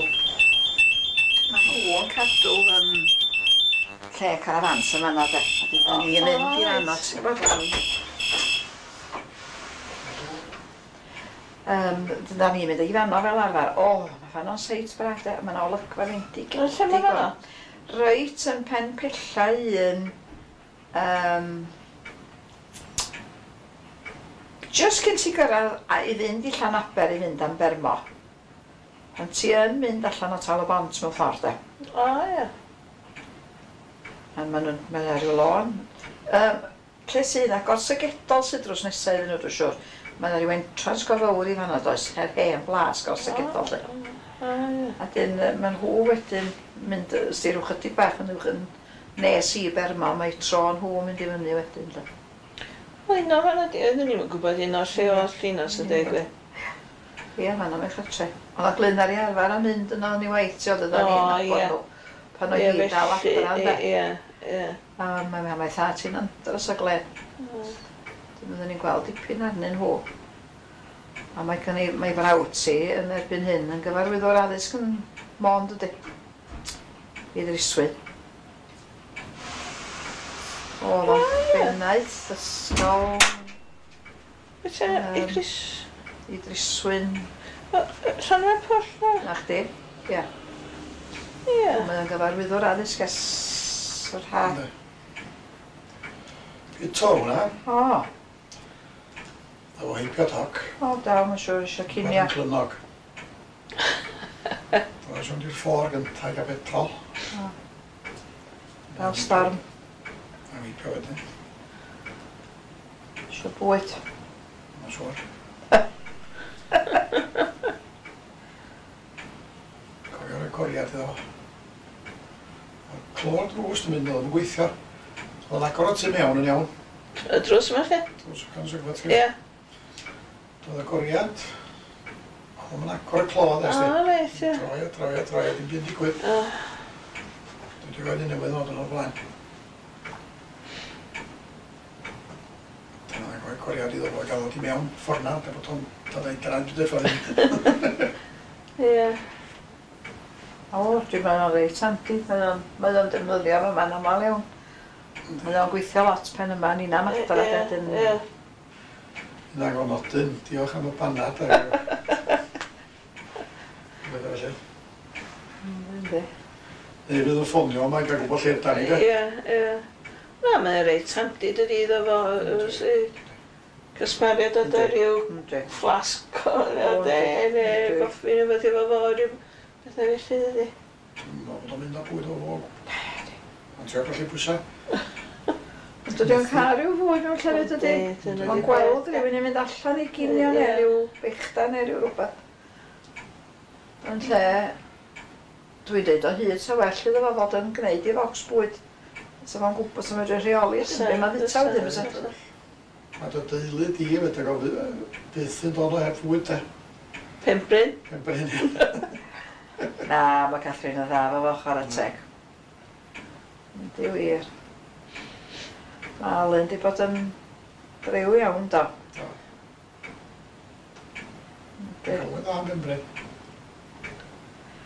mae nhw yn cadw um, lle carafans yn fan'na de. A dyn ni'n mynd i O, fan'na, reit. ti'n gwybod? Um, dyna ni'n mynd i fan'na fel arfer. O, mae fan'na'n seit braf de. Mae 'na olygfa fendig. O, lle ma' fan'na? Reit yn pen pella un. Um, just cyn ti gyrraedd a i fynd i Llanaber i fynd am Bermo. Pan ti yn mynd allan o Tal y Bont mewn ffordd de. O, ie. A ma' nhw'n, mae 'na ryw lôn. Um, lle sydd 'na Gorsygedol sydd drws nesaf iddyn nhw, dwi'n siŵr. Mae 'na ryw entrance go fawr i fan'na does, her hen blas Gorsygedol 'lly. O, ie. A dyn yy, ma' nhw wedyn mynd yy, sti rhyw chydig bach yn uwch yn nes i Bermo, mae tro nhw yn mynd i fyny wedyn 'lly. Wel, un o'r fan'na, oeddwn i'm yn gwybod un o'r lle oedd Llinos yn deud gwir. Ie, fan'na mae'n cartre. Oedd o Glyn ar ei arfer a mynd yno yn ei waith, ti oedd oedden O, ni'n nabod ie. nhw. Pan oedd Ie, hi dal felly, adra ynde. ie, ie. A mae mae mae thad hi'n andros o glên. Dwi'n meddwl ni'n gweld dipyn arnyn nhw. A mae gen i, mae frawd ti yn erbyn hyn yn gyfarwyddwr addysg yn Môn, dydy. I Ddryswyn. Oedd o'n O, ie. bennaeth ysgol Wyt ti, Yym. Idris, i Ddryswyn. Llanfairpwll na? Na chdi? Ie. Ie. Mae o'n gyfarwyddwr addysg ers yr ha. Yndi. Guto hwnna. O, Efo heibio toc. o da, mae'n siŵr eisiau cinio. Mae'n Clynnog. Roedd o'n i'r ffordd gyntaf i gael petrol. O. Fel storm, A heibio wedyn, eisiau bwyd. mae'n siŵr. Cofio'r agoriad iddo fo. Oedd clo'r drws yn mynd oedd yn gweithio. Oedd o'n agor o tu mewn yn iawn. Y drws yma lle? Drws y conservatory. Ie. Doedd agoriad. Oedd o'n agor y clo, O, ddest ti. reit, ie. Troi a troi a troi a dim byd digwydd. O, Dwi wedi gweld un newydd ddod yn o'r blaen. Dyna oedd agoriad iddo fo gael o di mewn ffordd na, da bod o'n dod o'i draed byd ffordd hyn. Ie. O, dwi'n meddwl o'n reit handi. Mae o'n, mae o'n defnyddio fo ma'n aml iawn. Mae o'n gweithio lot pen yma, ni'n am adra Ie, wedyn. Ie. Nag o'n nodyn, diolch am y banad. a- Beth felly. Mm, Yndi. Neu fydd yn ffonio yma i gael gwybod lle da ni de. Ie, ie. Na, mae'n reit handi dydi iddo fo, yy, cysmaru dod â rhyw Yndi. flasg o O, de, yndi, neu yndi. goffi neu beth efo fo, rhyw bethau felly dydi. Dwi'n meddwl bod o'n mynd â bwyd o fo. Ond ti'n gallu pwysau. Ond dydy o'n cael rhyw fwyd mewn llefydd dydy? Yndi, dyna Mae'n di gweld peth, rhywun yn mynd allan i ginio neu Ie. rhyw bechdan neu rhyw rhywbeth. Yn lle, dwi'n deud o hyd sa well iddo fo fod yn gwneud i focs bwyd. Sa fo'n gwybod sa medru rheoli Fysa, be mae'n fwyta wedyn fysa, fysa. fysa. Mae dy deulu di hefyd ac o byth yn dod o heb fwyd de. Penbryn. Penbryn. Na, mae Catherine yn dda fo fo chwarae teg. Yndi wir. Mae Alun di bod yn driw iawn do. Do. Dwi'n cofio'n dda am Benbryn.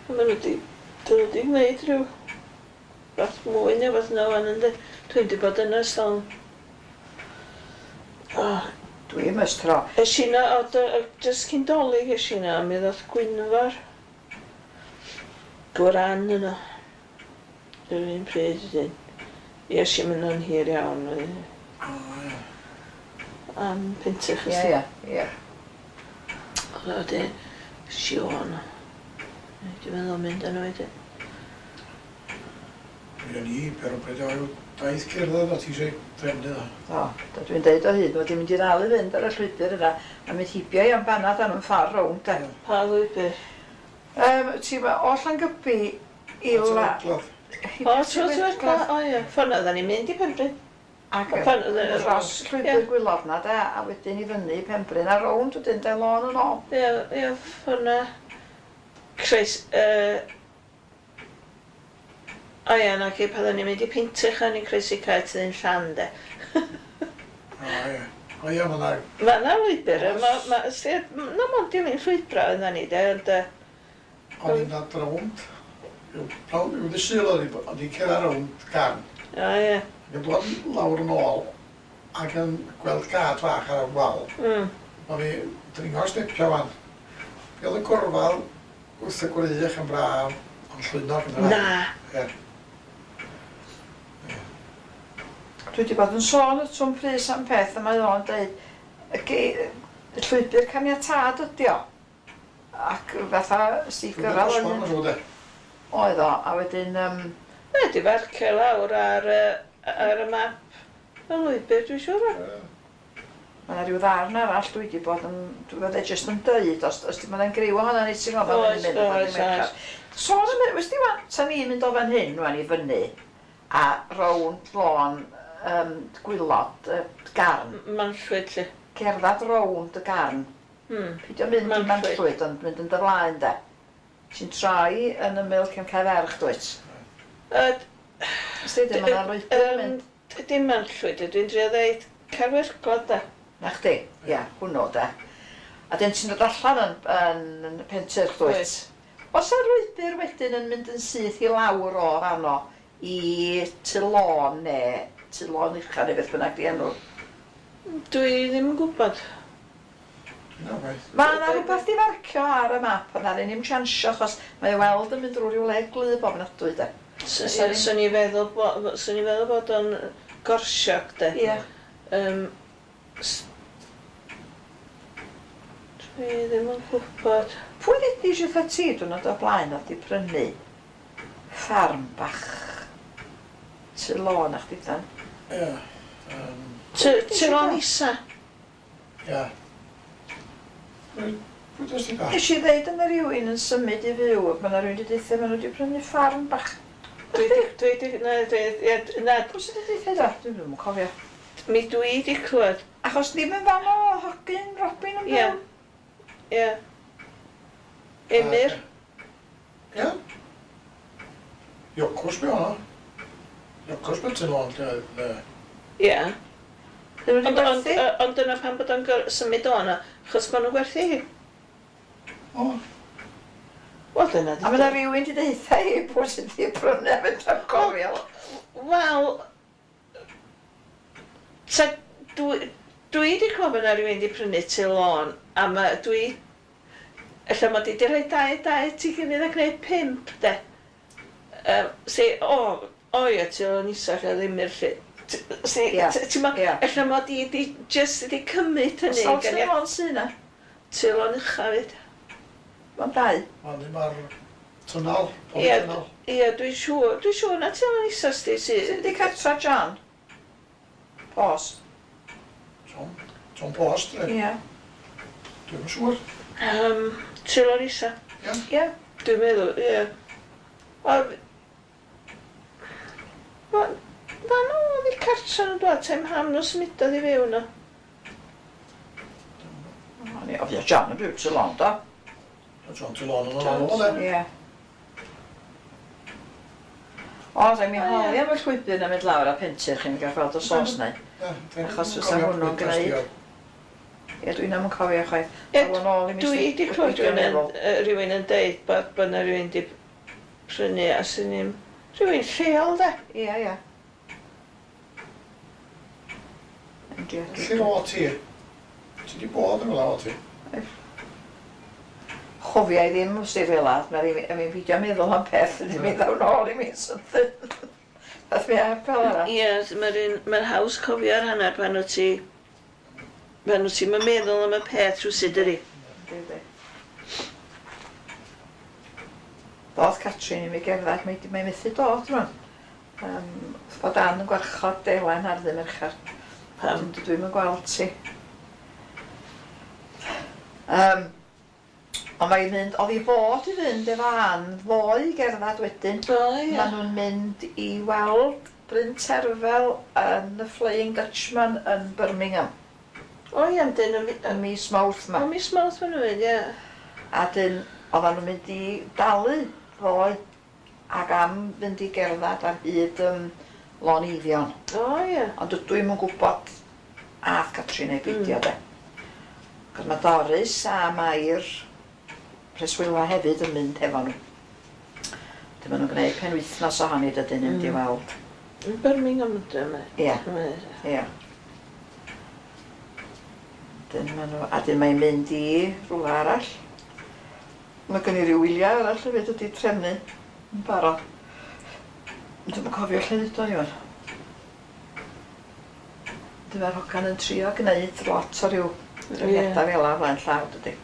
Maen nhw wedi, dyn nhw wedi gwneud rhyw fath mwy neu fath yna wan yndi. Dwi'n wedi bod yna ers talwm. Oh. Dwi am ers tro. Es i 'na, o, dy- jyst cyn Dolig es i 'na, a mi ddoth Gwynfor Gwran yno. Yr un pryd wedyn. Ie, es i'm yno'n hir iawn. O, ie. Am Pentyrch. Ie, ie, ie. Oedd o wedyn Siôn. Dwi'n meddwl mynd yno wedyn. Mi o'n i, pero bryd o daith cerdded a ti eisiau trefnu o. O, da dwi'n deud o hyd, mod i'n mynd i ddal i fynd ar y llwybr yna, a mynd heibio i am banad am yn ffordd rownd, de. Pa lwybr? Um, ti ma, o Llangybi i la... At O, trwy Tywedla, o ie. Ffordd na, oedden ni'n mynd i Penbryn. Ac Ffordd na, dros llwybr Gwylod na, de, a wedyn i fyny i Penbryn a rownd wedyn, de, lôn yn ôl. Ie, ie, ffordd na. Croes, yy... O ie, na ci, pan oedden ni'n mynd i Pentyrch, o'n i'n croesi cae Tyddyn Llan, de. O ie. O ie, ma' 'na... Ma' 'na lwybr, ma' ma' sti- na mond dilyn llwybrau oedden ni, de, ond yy... O'n i'n dod rownd, rownd, ryw ddydd Sul o'n i, o'n i'n cerdded rownd Garn. O ie. Ac yn dod lawr yn ôl, ac yn gweld gad fach ar y wal. Mm. O'n i dringo'r stepia wan. Fi oedd y gorfal wrth y gwrych yn braf, ond llwynog yn Na! Ie. Dwi wedi bod yn sôn y Twm Prys am peth, a mae o'n deud, y ge- y llwybr caniatâd ydi o. Ac fatha si gyrraedd Llwybr o'n dosbarth, ma'n siŵr, de. Oedd o, a wedyn... Um, Mae wedi farcio lawr ar, yy, ar y map y lwybr, dwi'n siŵr o. Ie. Mae yna rhyw ddarn arall dwi wedi bod yn... Dwi wedi jyst yn deud, os, os di mae'n griw ohono ni, ti'n gwybod, Oes, mae'n mynd, oes, oes. Sôn am, wnes di wan, sa ni'n mynd o fan hyn, wan i fyny, a rownd lôn um, Gwylod, y Garn. Manllwyd, lle. Cerddad rownd y Garn. Hmm. Peidio mynd i Manllwyd. Manllwyd, ond mynd yn dy flaen, de. Ti'n troi yn ymyl cefn Cae Ferch, dwyt? Yy, Ys di, mae yna lwybr yn yym, mynd. Dim Manllwyd, dwi'n drio ddeud Carwerglod, de. Na chdi, ia, hwnnw, de. A dyn ti'n dod allan yn, yn, yn Pentyrch, dwyt? Oes. Oes 'na lwybr wedyn yn mynd yn syth i lawr o fanno i Tŷ Lôn neu Tŷ Lôn Ucha neu beth bynnag di enw? Dwi ddim yn gwybod. Na, waith. Mae yna rhywbeth di farcio ar y map, ond ddaru ni'm chansio achos mae o weld yn mynd drwy ryw le gwlyb ofnadwy de. Swn i'n feddwl bo- swn i'n feddwl bod o'n gorsiog de. Ie. Um, s- dwi ddim yn gwybod. Pwy ddudis wrtha ti diwrnod o'r blaen oedd di prynu ffarm bach Tŷ Lôn a chdi dan? Ie. Yym, Tŷ Tŷ Lôn Isa. Ie. Pwy pwy dys ti da? Nes i ddeud yna rhywun yn symud i fyw, mae yna rhywun wedi deutha, maen nhw wedi prynu ffarm bach. Dwi di, dwi di, na, dwi, ie, na, Pwy sydd wedi deutha da? Dwi'n ddim yn cofio. mi dwi di clywed. Achos ddim yn fan o hogyn Robin yn Ie. byw. Ie. Emyr. Ie. Iocws be o'na. Iocws be ti'n ôl, lle oedd, yy, Ie. Ddim wedi Ond, ond, gwerthu? yy, ond dyna pam bod o'n gor- symud o yna, achos maen nhw'n gwerthu hi. O, Wel, dyna A mae yna rhywun wedi deutha i pwy sydd wedi prynu a fedrai'm cofio. Wel, ta, dwi, dwi wedi clywed bod yna rhywun wedi prynu Tŷ Lôn, a ma, dwi, ella mod i wedi rhoi dau, dau at ei gilydd a gwneud pump, de. Um, si, o, o ie, Tŷ Lôn isa lle ddim i'r lle. T- Si, Ie, t- ti'n ma, ie. ella mod i wedi just wedi cymryd hynny. Sawl gan Tŷ i- Lôn sy yna? Tŷ Lôn ucha fyd. Mae'n dau. Mae'n ddim ar tunnel, pob Ie, tunnel. ie, dwi'n siŵr, dwi'n siŵr na Tŷ Lôn isa sti sy... Sydd wedi cartra John? Post. John, John Post, ie. Ie. Dwi'm yn siŵr. Um, Tŷ Lôn isa. Ie. Dwi'n meddwl, ie. Wel, wel, fan oedd i cartra nhw'n dod, tem ham nhw symudodd i fyw nhw. O'n i ofio John yn byw Tŷ Lôn, do? John Tŷ Lôn yn ôl, de. Ie. O, rhaid mi O, ie. holi am y llwybr na mynd lawr a Pentyrch chi'n gael gweld os oes neu. Ie, dwi'n Achos fysa cofio hwnnw'n pwy dys ti gwneud. oedd. Ie, dwi'n am yn cofio chwaith. Ie, dwi wedi clywed rhywun yn deud bod bod 'na rhywun wedi prynu a sy'n ni'n rhywun lleol de. Ie, ie. Lle o ti? Ti wedi bod yn rhywle o ti? Chofia i ddim os di fel ad, mae'n fi'n meddwl am peth, ydy mi ddaw nôl i mi sydyn. Fath mi ar fel arall. Ie, mae'n haws cofio'r hanner pan wyt ti pan wyt ti'n meddwl am y peth rhywsut ydi. Yndi. Dodd Catrin i mi gerdded, mae, mae methu dod rwan. Um, bod Ann yn gwarchod Elen ar ddydd Mercher. Pam? Dwi'm yn gweld ti. Um, ond mae'n mynd, oedd hi fod i fynd efo Ann ddoe i gerdded wedyn. O, ie. Maen nhw'n mynd i weld Bryn Terfel yn y Flying Dutchman yn Birmingham. O ie, dyn yn mis Mawrth ma. O, mis Mawrth maen nhw'n mynd, ie. A dyn, oedden nhw'n mynd i dalu ddoe ac am fynd i gerdded ar hyd um, Lôn Eifion. O ie. Ond dwi'm yn gwybod ath Catrin neu beidio mm. de. Cos mae Doris a Mair preswyla hefyd yn mynd efo nhw. Dyn maen nhw'n gwneud penwythnos ohoni dydyn nhw'n mm. i weld. Yn Birmingham ydyn nhw? Ie, ie. Dyn maen nhw, a dyn mae'n mynd i rhywle arall. Mae gen i ryw wyliau arall hefyd wedi trefnu yn barod. Dwi'm yn cofio lle ddudodd i wan. Dyma'r hogan yn trio gwneud lot o ryw trefniadau fel 'a flaen llaw dydy.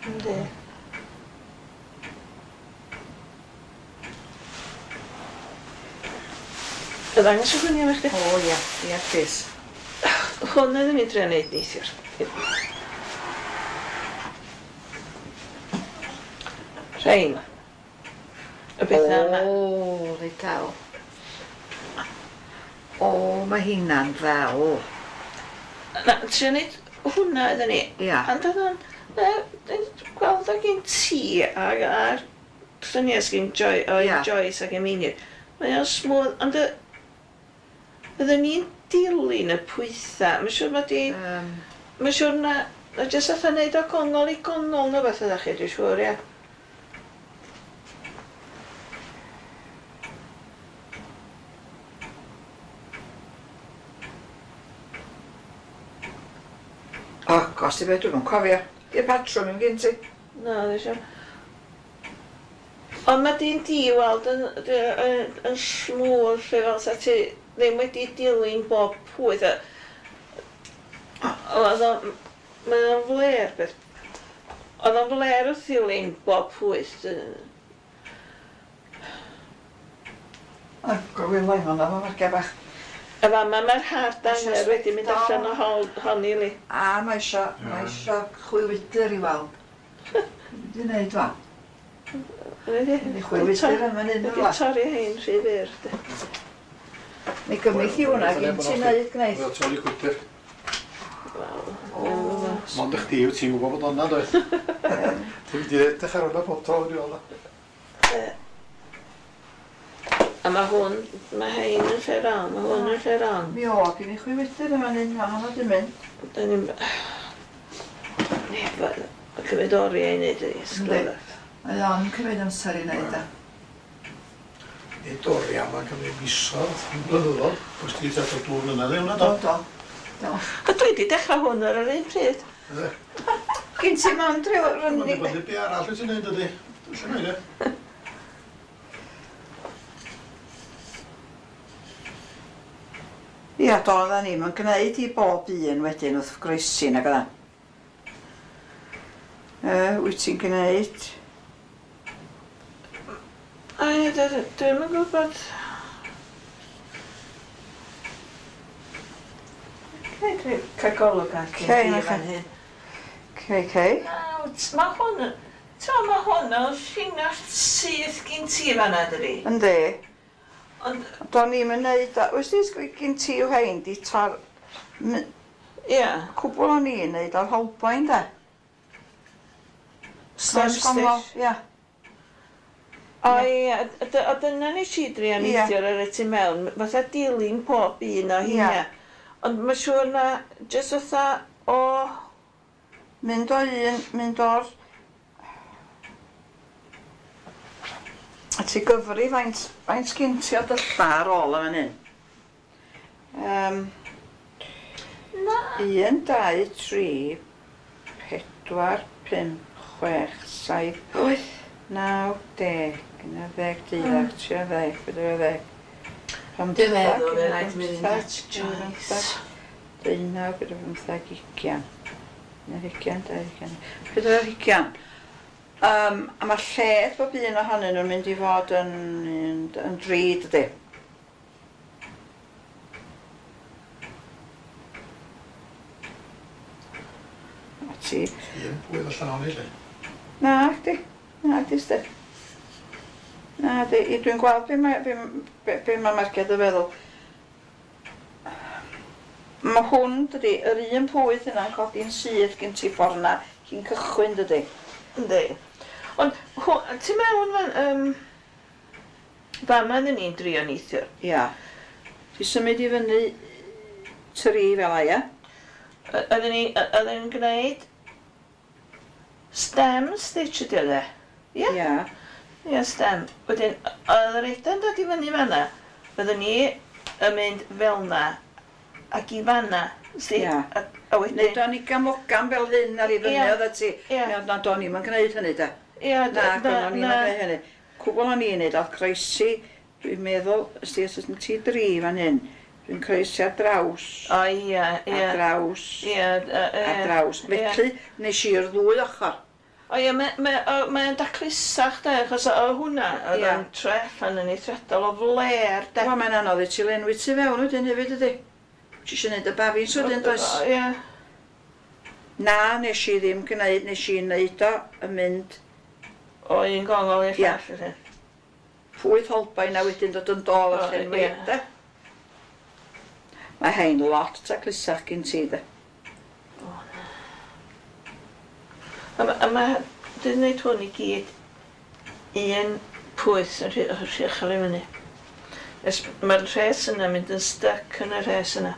Yndi. Y ddangos y lluniau i chdi? O ia, ia plis. Hwn oeddwn i'n trio neud neithiwr. Rhein. Y bethau yma. O, reit dal. O, mae hynna'n ddel. Na, trio neud hwnna oeddwn ni. Ia. Ond oedd o'n... Gweld o gen ti ag a'r lluniau sgyn Joy, o Ia. Joyce ac Emini. Mae o'n smooth, ond y... Oedden ni'n dilyn y pwythau. Mae'n siŵr mod i... Um, Mae'n siŵr na... Na jyst fatha neud o gongol i gongol neu beth ydach chi, dwi'n siŵr, ie. O, gos i beth, dwi'm yn cofio. Di'r patrwm yn gen ti? Na, dwi'n siŵr. Ond mae dyn di weld yn, yn, yn smooth, lle fel sa ti ddim wedi dilyn bob pwyth. Oedd o... Mae o'n fler beth. Oedd o'n fler wrth ddilyn bob pwyth. O, gwylo i hwnna, mae'n marciau bach. A fama mae'r hard anger wedi mynd allan o hol, hon i li. A mae isio, mae isio chwilwydr i weld. Dwi'n neud fa. Wedi Chwilwydr yn fan hyn Wedi torri hein rhy fyr. Mi gymryd hi hwnna gyn ti'n neud gneud. Wel, torri gwydr. Wel, Mond i chdi wyt ti'n gwybod bod o'na, doedd? Ti'n mynd i edrych ar hwnna pob tro wedi weld o. A mae hwn, mae hein yn lle rong, mae hwn yn lle rong. Mi o, gen i chwilwydr yn fan hyn, fan hwnna dwi'n mynd. Da ni'n... Mae'n cymryd oriau i wneud y sglefaf. Mae o'n cymryd amser i wneud e. Nid oriau, mae'n cymryd misoedd, yn blynyddoedd. Oes ti ddod o dwy flynedd i hwnna, Do, do? do. Do. A dwi wedi dechrau hwn ar yr un pryd. Gyn ti mond rhyw Mae'n rynnu... dibynnu be arall wyt ti'n neud, ydy. Lle mae e? Ia, do, odda ni. Mae'n gwneud i bob un wedyn wrth groesi nag oeddan. Uh, wyt ti'n gwneud... Ai, dwi'm yn gwybod... Cei, dwi cael golwg ar Cei, gen i na fan chi. hyn. Cei, cei. Na, mae hwn... T'o, mae hwn yn llinell syth gyn ti fan'na, dydi? Yndi. Ond, Do'n i'm yn neud o. Wys ti gyn ti yw hein di tor... m- ia. Cwbl o'n i'n neud o'r holboen, de. Stem Croes gongol, stitch. Ia. O ia, o dyna nes i drio neithiwr ar y tu mewn, fatha dilyn pob un o hynna. Ond mae'n siŵr na, jyst fatha o... Mynd o un, mynd o'r... A ti gyfri faint, faint sgin ti o dylla ar ôl yn fan hyn? Um, Na. Un, dau, tri, pedwar, pump, chwech, saith, wyth, naw, deg, un ar ddeg, deuddeg, tri ar ddeg, pedwar ar ddeg, Dwi'n meddwl fe rhaid mynd at Joyce. Deunaw, pedwar pymtheg, ugian. Un ar hugian, dau hugian, pedwar ar hugian. Um, a mae lled bob un ohonyn nhw'n mynd i fod yn, yn, yn dri, dydy. A ti... Un pwydd allan o'n i, lle. Na, chdi. Na, chdi, sti. Na, di. Dwi'n gweld be mae, be, be, be mae Marged yn feddwl. Mae hwn, dydy, yr un pwyth yna'n codi'n syth gen ti ffordd na cyn cychwyn, dydy. Yndi. Ond, ti'n mewn fan, um, fama oedden ni'n drio neithiwr. Ia. Ti symud i fyny tri fel a, ia? Oedden ni, oedden ni'n gwneud stem stitch ydi o de? Ia? Ia. Ia, stem. Wedyn, oedd yr eda'n dod i fyny fanna, fydden ni yn mynd fel na ac i fanna. Ia. A, a wedyn... Neu do'n i gamogam fel hyn ar i fyny Ia. oedd ti. Ia. Na, do'n i'm yn gwneud hynny de. Ia, Na, do'n i'm yn gwneud hynny. Cwbl o'n i'n neud oedd croesi, dwi'n meddwl, ysdi os ydyn ti dri fan hyn, dwi'n croesi ar draws. O, ia, ia. Ar draws. Ia, Ar draws. Felly, nes i'r ddwy ochr. O ia, mae ma, mae o'n daclusach de, achos o hwnna, oedd o'n troi allan yn eithriadol o fler de. Wel, mae'n anodd i ti lenwi ti fewn wedyn hefyd ydy. Ti eisiau gwneud y bafins wedyn, does? Ia. Na, nes i ddim gwneud, nes i wneud o yn mynd... O un gongol i'r llall, ydy. Pwyth holbain a wedyn dod yn dôl a llenwi, de. Mae hein lot taclusach gen ti, de. O, na. A ma, a ma, dwi'n gwneud hwn i gyd un pwyth yn rhy, rhy uchel i fyny. Mae'r rhes yna mynd yn styc yn y rhes yna.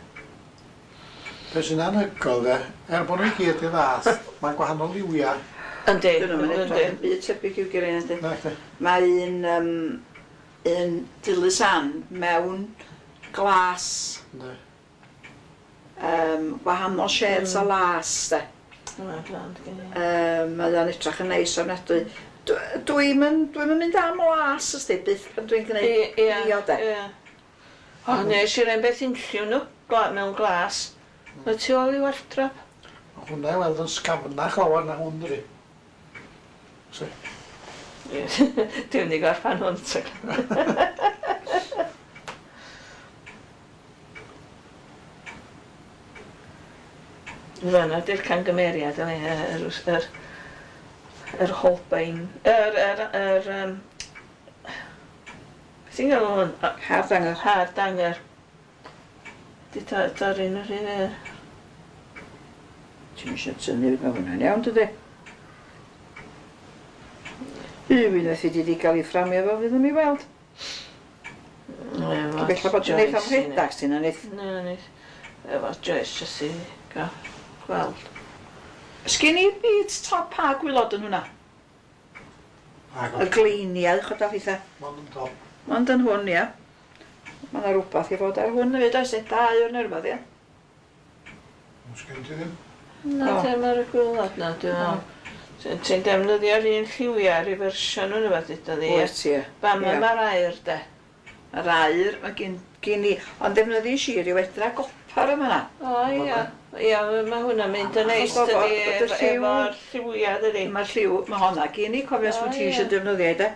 Be sy'n anhygoel de, er bod nhw i gyd i fath, mae'n gwahanol liwiau. Yndi, Dyn nhw'n yndi. edrych yn byd tebyg i'w gilydd, yndi. Na, chdi. Mae un, um, un Dilys Ann mewn glas, Yndi. um, wahanol shades mm. o las, de. Mae'n grand gen i. Um, mae o'n edrych yn neis ofnadwy. Dwi'n mynd, dwi'n mynd am las, ysdi, byth pan dwi'n gwneud Ie, dio, de. ie. O, nes i'r un beth unlliw nhw, gla, mewn glas. Mae tu ôl i wardrob. Ma' hwnna i weld yn sgafnach lawer na hwn, dydi. Si. Dwi'n mynd i gorffan hwn, ta. Fanna di'r cangymeriad, yli, yr, yr, yr Holbein, yr, yr, yr, um, beth ti'n galw hwn? Hardanger. Hardanger. Di torri'n yr un er. Ti'n eisiau tynnu, mae hwnna'n iawn, dydy? Unwaith i di di gael ei fframio fo, fydd yn ei weld. Bella bod ti'n neith am rhedag, ti'n neith. Na, neith. Efo Joyce, jyst i gael gweld. Sgyn i'r byd top a gwylod yn hwnna? Y gleiniau, chod a phethau. Mond yn top. Mond yn hwn, ia. Mae yna rhywbeth i fod ar hwn hefyd, oes e? Dau o'r neu rhywbeth, ia? Sgyn ti ddim? Na, ddim ar y gwylod na, dwi'n meddwl. Ti'n defnyddio'r un lliwiau ar ei fersiwn nhw'n rhywbeth ydy ddi. Wyt, ie. Fama mae'r aur, de. Mae'r aur, mae gen, gen i, ond defnyddiais i ryw edra gopar yma na. O, ia. Ia, mae hwnna'n mynd yn neis, dydi, efo'r lliwiau, dydi. Mae'r lliw, mae honna gen i, cofio os wyt ti eisiau defnyddio i, de.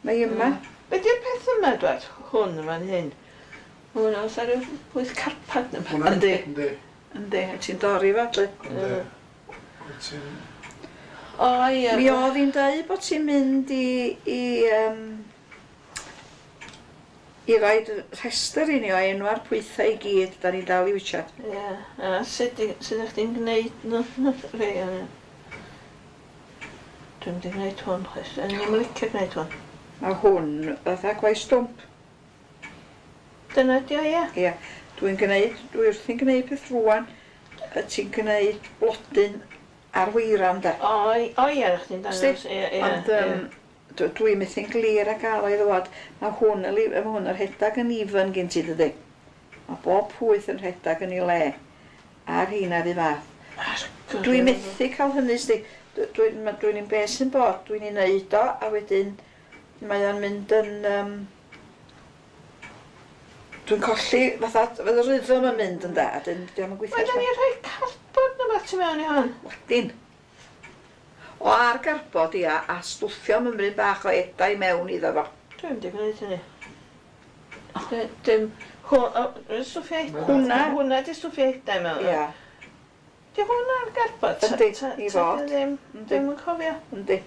Mae yma. Be di'r peth yma, dwed? Hwn yma'n hyn. Hwn oes ar ryw pwyth carpad yma. Yndi. Yndi. Yndi, ti'n dorri fo, dwi. Yndi. Wyt ti'n... O, ie. Mi oedd hi'n dweud bod ti'n mynd i, i, um, i roed rhestr i ni o enwa'r pwythau i gyd da ni'n dal i witchad. Ie, a sut sut ydych chi'n gwneud nhw? Rei o'n. Dwi'n mynd i gwneud hwn, chwaith. O'n i'm yn licio gwneud hwn. Mae hwn fatha gwaith stwmp. Dyna di o, ie? Ie. Dwi'n gwneud, dwi wrthi'n gwneud peth rwan, ti'n gwneud blodyn ar weiran, de. O, o ie, chdi'n dangos. Ie, ie. Ond um, dwi'n methu'n glir a gael o'i ddwad. Mae hwn, mae hwn yn rhedag yn even gen ti, dydy. Mae bob pwyth yn rhedag yn ei le. Ar heina fi fath. Dwi'n methu cael hynny, sdi. Dwi'n dwi un beth sy'n bod, dwi'n ei wneud o, a wedyn mae o'n mynd yn... Um, dwi'n colli, fatha, fydd y rhythm yn mynd yn da, a dyn diolch yn gweithio. Mae da ni rhoi cardbord na beth tu mewn i hwn. Wedyn. O ar garbod, ia, a stwffio mymryn bach o edau mewn iddo fo. Dwi'n mynd i gwneud hynny. Dim, stwffio edau. Hwna. Hwna di stwffio edau mewn. Ia. Di hwnna ar garbod? Yndi, i fod. Ddim, ddim yn cofio. Yndi.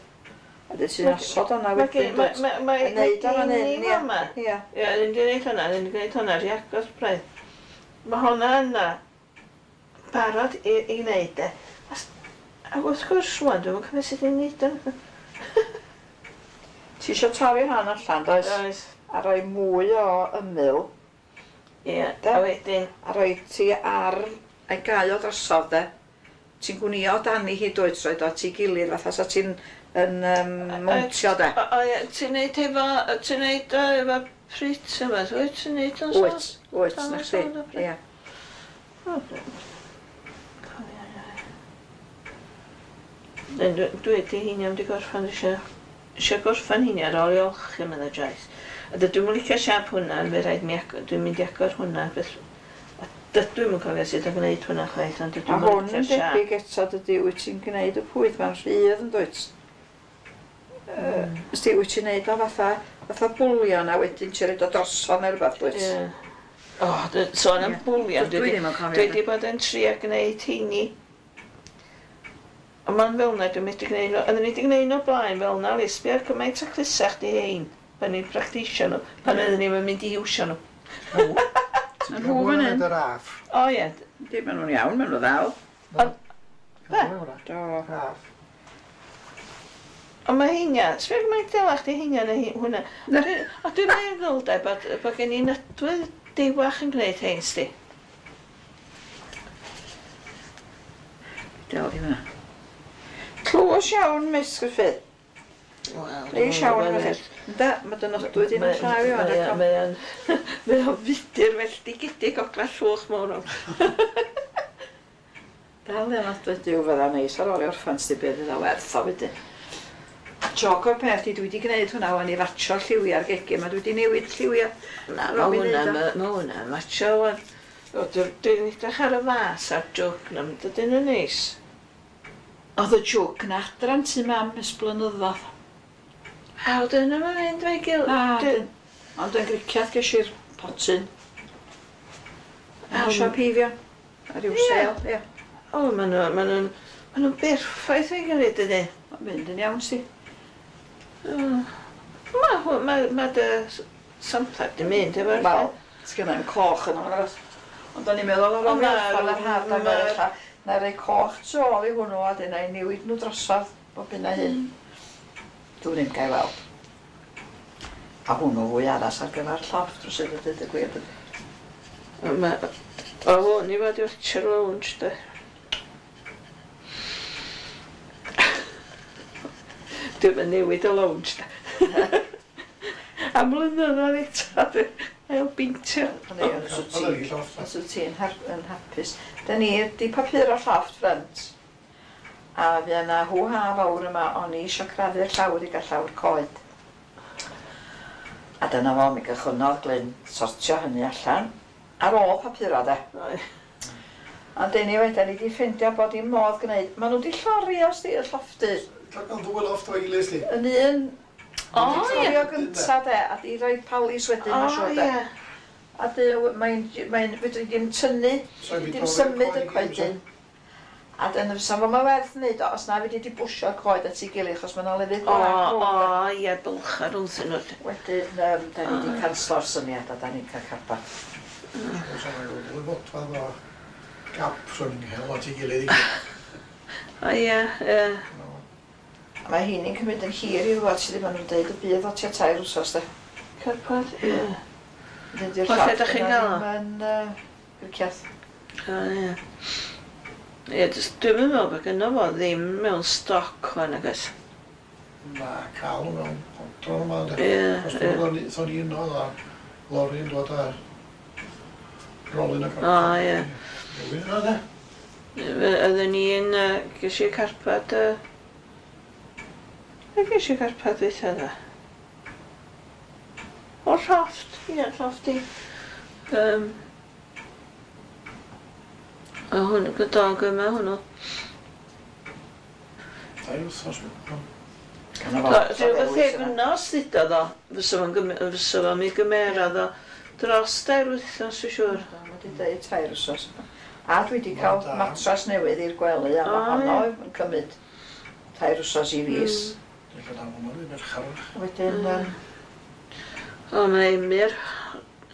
A dyn sy'n osod o'na wedyn. Mae neud o fan hyn, ia. Ia, ni'n di wneud hwnna, ni'n di gwneud hwnna rhy agos braidd. Mae hwnna yna barod i, i wneud e. A wrth gwrs rwan, dwi'm yn cofio sut i wneud o. Ti isio torri rhan allan, does? Oes. A rhoi mwy o ymyl. Ie, a wedyn. A rhoi ti ar ei gau o drosodd, de. Ti'n gwnio dani hi dwyt, roed o at ei gilydd, fatha sa ti'n yn um, mowntio, de. O, o ie, ti'n neud efo, ti'n neud o efo prit yma, wyt ti'n neud o'n Wyt, wyt, na chdi, ie. Dwi wedi heini am di gorffan, eisiau eisiau gorffan heini ar ôl i olchi, medda Joyce. A dydw i'n licio siap hwnna, fe rhaid mi agor, dwi'n mynd i agor hwnna, beth, a dydw i'm yn cofio sut o gwneud hwnna chwaith, ond dydw A i'm hwn yn yn licio siap. debyg eto, dydy, wyt ti'n gwneud y pwyth, mae'n rhydd yn dwyt. Uh, Sti, wyt ti'n neud o fatha, fatha bwlion a wedyn ti'n rhaid o drosodd neu rhywbeth, dwyt? Ie. O, d- sôn am Ie. bwlion, Dwi dwi ddim yn cofio. dwi wedi bod yn trio gwneud heini. Ond ma'n fel 'na, dwi'n medru gwneud nhw, oedden ni wedi gwneud nhw blaen fel 'na, Lis, sbio cymaint o clusach di hein, pan ni'n practisio nhw, pan oedden ni'n mynd i iwsio nhw. Yn nhw fan hyn. Y raff. O ie, Yndi, maen nhw'n iawn, maen nhw ddal. Be? Do. Raff. Ond mae heina, sbio gymaint delach di heina na hi- hwnna. A dwi- A dwi'n meddwl de bod, bod gen i nodwydd dewach yn gwneud hein, sti. Del di hwnna. Clws iawn, Miss Griffith. Wel, Neis iawn, felly. Ynde, mae dy nodwydd i'n llaw i o'n Mae o'n mae o'n fudur felltigedig o llwch mawr o'n. Dal i nodwydd diw fydda neis ar ôl i orffan sti beth iddo werth o wedyn. Joc o'r peth i dwi wedi gwneud hwnna wan i fatsio'r lliwiau'r gegin, ma dwi wedi newid lliwiau. Na, Ar mae ôl mi hwnna, neud o. ma' ma' hwnna'n matsio wan. O, dwi- Dwi'n edrych ar y fas a'r jwg na, dydyn nhw'n neis. Oedd y jwg na adran tu mam ers blynyddoedd. A wedyn nhw'n mynd fe'i gilydd. Na, Dwi- dyn- ond yn griciad ges i'r potyn. Am- Yn siop heifio. Ar ryw Ie. sêl, ie. O, maen nhw, maen nhw'n, maen nhw'n berffaith o'i gilydd, dydyn. Mae'n mynd yn iawn, si. Mae hwn, mae, mae dy s- samplau di mynd efo'r Wel, sgynna i'm coch yn o'n Ond o'n i'n meddwl ar ôl Ond i ma' orffan yr haf, na ma' ella, na rei coch tu ôl i hwnnw a dyna i newid nhw drosodd bob hyn a hyn. Dwi'n ddim gael weld. A hwnnw fwy addas ar gyfer llofft rywsut a dweud y gwir. dydi. Mae, o hwn i fod i watcher lounge, de. Dwi'm yn newid y lounge, de. Am blynyddoedd eto, dwi ail beintio. Ond ei, os wyt Oedd ti- yr llofft. os wyt ti'n har- yn hapus. Da ni di papuro llofft ffrynt. A fydd yna hw-ha fawr yma, o'n i isio crafu'r llawr i gael llawr coed. A dyna fo, mi gychwynnodd Glyn sortio hynny allan. Ar ôl papuro, de. Ond anyway, da ni di ffeindio bod dim modd gwneud. Maen nhw di llorio, sti, y llofftydd. Cael ddwy lofft o'i gilydd, sti. Yn un O, di ie. llorio gynta, de, a di roi palis wedyn, O, ma'n siŵr, de. ie. A dy, mae'n, mae'n, fedri dim tynnu, So, fedri fi dim torri'r symud y coed i gyd, coedyn. A dyna fysa fo mae werth wneud o, os na fedri di bwsio'r coed at ei gilydd, achos mae 'na lefydd O, gwag rownd o, o. ie, bylcha rwngthyn nhw. Wedyn, um, da ni di canslo'r syniad a da ni'n cael carpad. So, mae ddwy fodfedd o gap rhwng hel at ei gilydd i gyd. O, ie, ie. A mae hynny'n cymryd yn hir i ddwad sydd ddim yn dweud y bydd o tua tair wsos de. Carpad, ie. Dydy'r O, lle dach chi'n gael o? Yn uh, Gricieth. O, ie. Ie, jyst dwi'm yn meddwl bod gynno fo ddim mewn stoc wan, nag oes? Na, cael nhw mewn dro yma, de. Ie, Os ie. dwi'n meddwl, ni yno, a lori'n dod â rolyn o O, ie. Newid yna, de. Oedden ni'n, yy, ges i carpad, yy, be ges i carpad dwytha dda? O'r llofft, ie, llofft i. Um, a hwn, dog yma hwnnw. Tair wythnos. Gan o Do, Rhyw bythefnos ddudodd o, fysa fo'n gym- fysa fo'n mi gymerodd o dros dair wythnos, dwi'n siŵr. Mae wedi dweud tair wsos. A dwi wedi cael Ma'n da. matras newydd i'r gwely a mae O, honno ie. yn cymryd tair wsos i fis. Dwi'n cael hwnnw i merchar. Wedyn, Mm. yym, O, mae Emyr,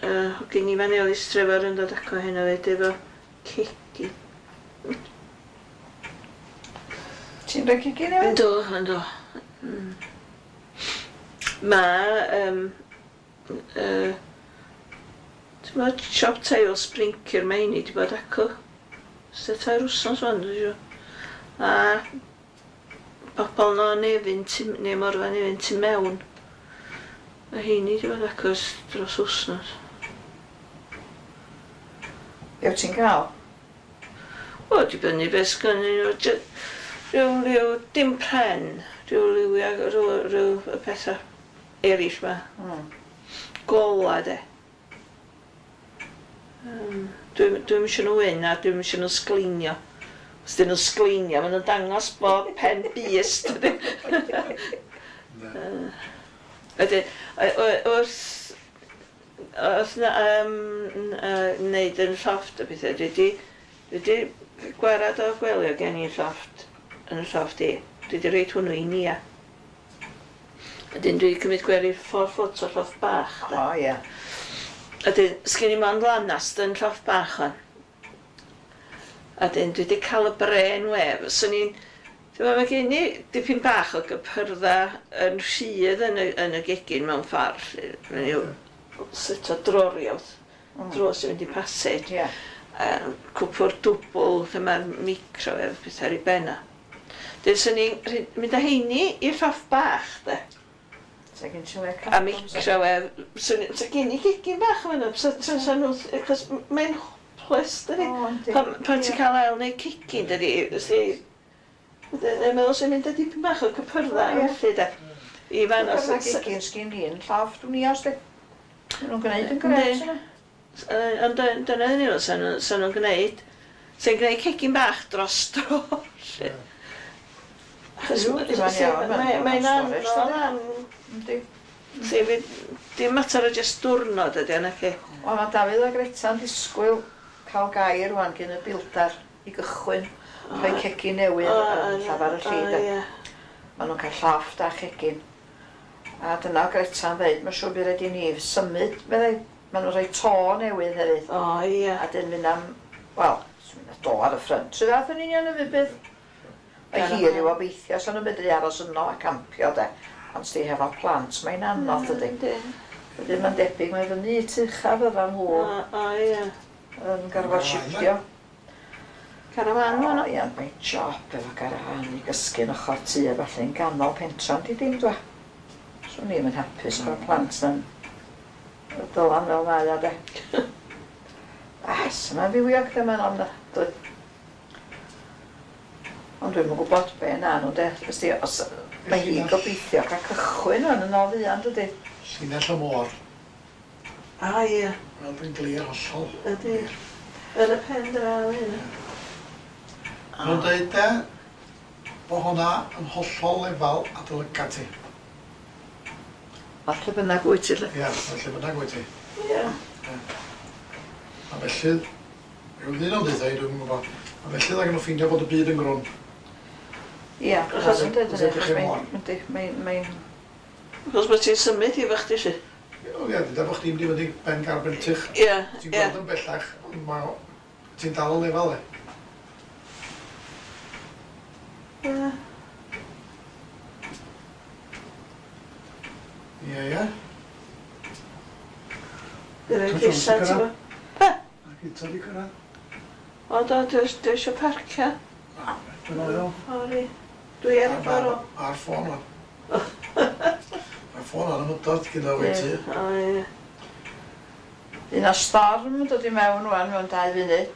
uh, hogyn Ifan Elis Trevor yn dod aco heno fyd efo cegin. Ti'n rhoi cegin newydd? Yndw, yndw. Mm. Mae, um, uh, ti'n bod, siop teil Sprinker mae heini di bod acw. Ys tair wsnos wan, dwi'n siŵr. A bobl no Nefyn, tu- neu Morfa Nefyn tu mewn. Mae heini di bod acw ers dros wsnos. Be wyt ti'n cael? O, dibynnu beth sgynnyn nhw. Jy- Rhyw liw, dim pren, rhyw liwiau, rhyw, rhyw y pethau eraill ma. Mm. Gola, de. Um, Dwi'm dwi'm isio nhw wyn a dwi'm isio nhw sgleinio. Os dyn nhw'n sgleinio, maen nhw'n dangos bob pen bys, dydy. Wedyn, yy, yy, wrth wrth na, um, uh, wneud yn llofft a pethau, dwi di, dwi di gwarad o gwely o gen i'n llofft, yn y llofft i. Dwi di roid hwnnw i Nia. Wedyn dwi 'di cymryd gwely four foot o llofft bach. De. O, ie. Wedyn, sgen i mond lanast yn llofft bach o'n. A dyn dwi wedi cael y brain wave. Swn i'n... Ti'n meddwl, mae gen i dipyn bach o gypyrdda yn rhydd yn y, yn y gegin mewn ffordd. lly. Mae'n yw set o droriau, Mm. dros sy'n mynd i passage. Ie. Um, cwpwr dwbl lle mae'r microwave pethau ar ei benna. Dyn swn i'n rhy- mynd â heini i'r llofft bach, de. Sa gen ti le A microwave, swn i- sa gen i gegin bach yn fan'na, sa sa sa nhw, achos mae'n hopeless, dydi? O, yndi. Pan, pan ti'n Ie. cael ail neu cegin, dydi, ysdi, dwi'n meddwl sy'n mynd â dipyn bach o cypyrdda Ie. felly, de. I fan os... Cyfra gegin sgyn i'n llofft, dwi'n i os di. Maen nhw'n gwneud yn gret Yndi. yna. Ond dy- dyna ddyn nhw, sa'n nhw- sa'n nhw'n gwneud. Sa'n gwneud cegin bach dros dro, lly. Achos Yw, di ma'n iawn, ma'n- mae- ma'n mae'n storage, anodd dydi? am... Yndi. Si, fi- dim mater o jyst diwrnod ydy, nac i. Wel, mae Dafydd a Greta'n disgwyl cael gair rwan gyn y bildar i gychwyn rhoi cegin newydd yn llafar y lli, de. Ie. Maen nhw'n cael llofft a chegin. A dyna o Greta'n dweud, mae'n siŵr bydd rhaid i ni symud, meddai. Maen nhw'n rhoi to newydd hefyd. O, ie. A dyn mynd am, wel, swn i'n do ar y ffrynt. Rhyw fath yn union yn bydd. Mae hir i'w obeithio, so nhw'n medru aros yno a campio, de. Ond sti hefo plant, mae'n anodd, dydy. Yndi. Wedyn mae'n debyg, mae fyny i tŷ ucha fydda nhw O, o, ie. yn gorfod shiftio. Carafan, O, ma' nhw. ia, mae'n job efo garafan i gysgu'n ochr tŷ a falle yn ganol pentra, di dim dwa. Swn i'm yn hapus efo'r plant yn dylan fel mae o, de. Ah, sy'n ma'n fywiog de, mae'n ofnadwy. Ond dwi'm yn gwybod be na nhw, de. Ysdi, os, mae hi'n gobeithio cael cychwyn o'n yn ôl fuan, dydy. Llinell y môr. O, ie. Weld yn glir hollol. Ydy. Yn y pen draw hyn. Maen nhw'n dweud de, bo hwnna yn hollol lefal a dy lygad ti. A lle bynnag wyt ti, lle. Ie, felly bynnag wyt ti. Ie. A felly, rhyw ddyn o'n dweud, dwi'n gwybod, a felly dda nhw ffeindio bod y byd yn grwn. Ie, Achos- achos yn dweud Achos hynny, edrych achos i'r mae'n, môr. yndi, mae'n, mae'n, Achos bod ti'n symud i efo chdi, lly. O ie, dyda bod chdi'n mynd i fyny ben Garbentych. Ie, Ti'n ie. gweld yn bellach, ond ma' ti'n dal y lefel e. Ie. Ie, ie. Dwi'n rhoi Tom Jones cisa, di ti'n cyrraedd. bo? Ac eto di cyrraedd. O do, dwi dwi eisiau parcio. Na, dwi'n meddwl. Sori. Dwi ar y ffordd o. Ar ffôn o'n. Ar ffôn o'n ymwydod gyda fi ti. O, ie. Un o storm yn dod i mewn wan mewn dau funud.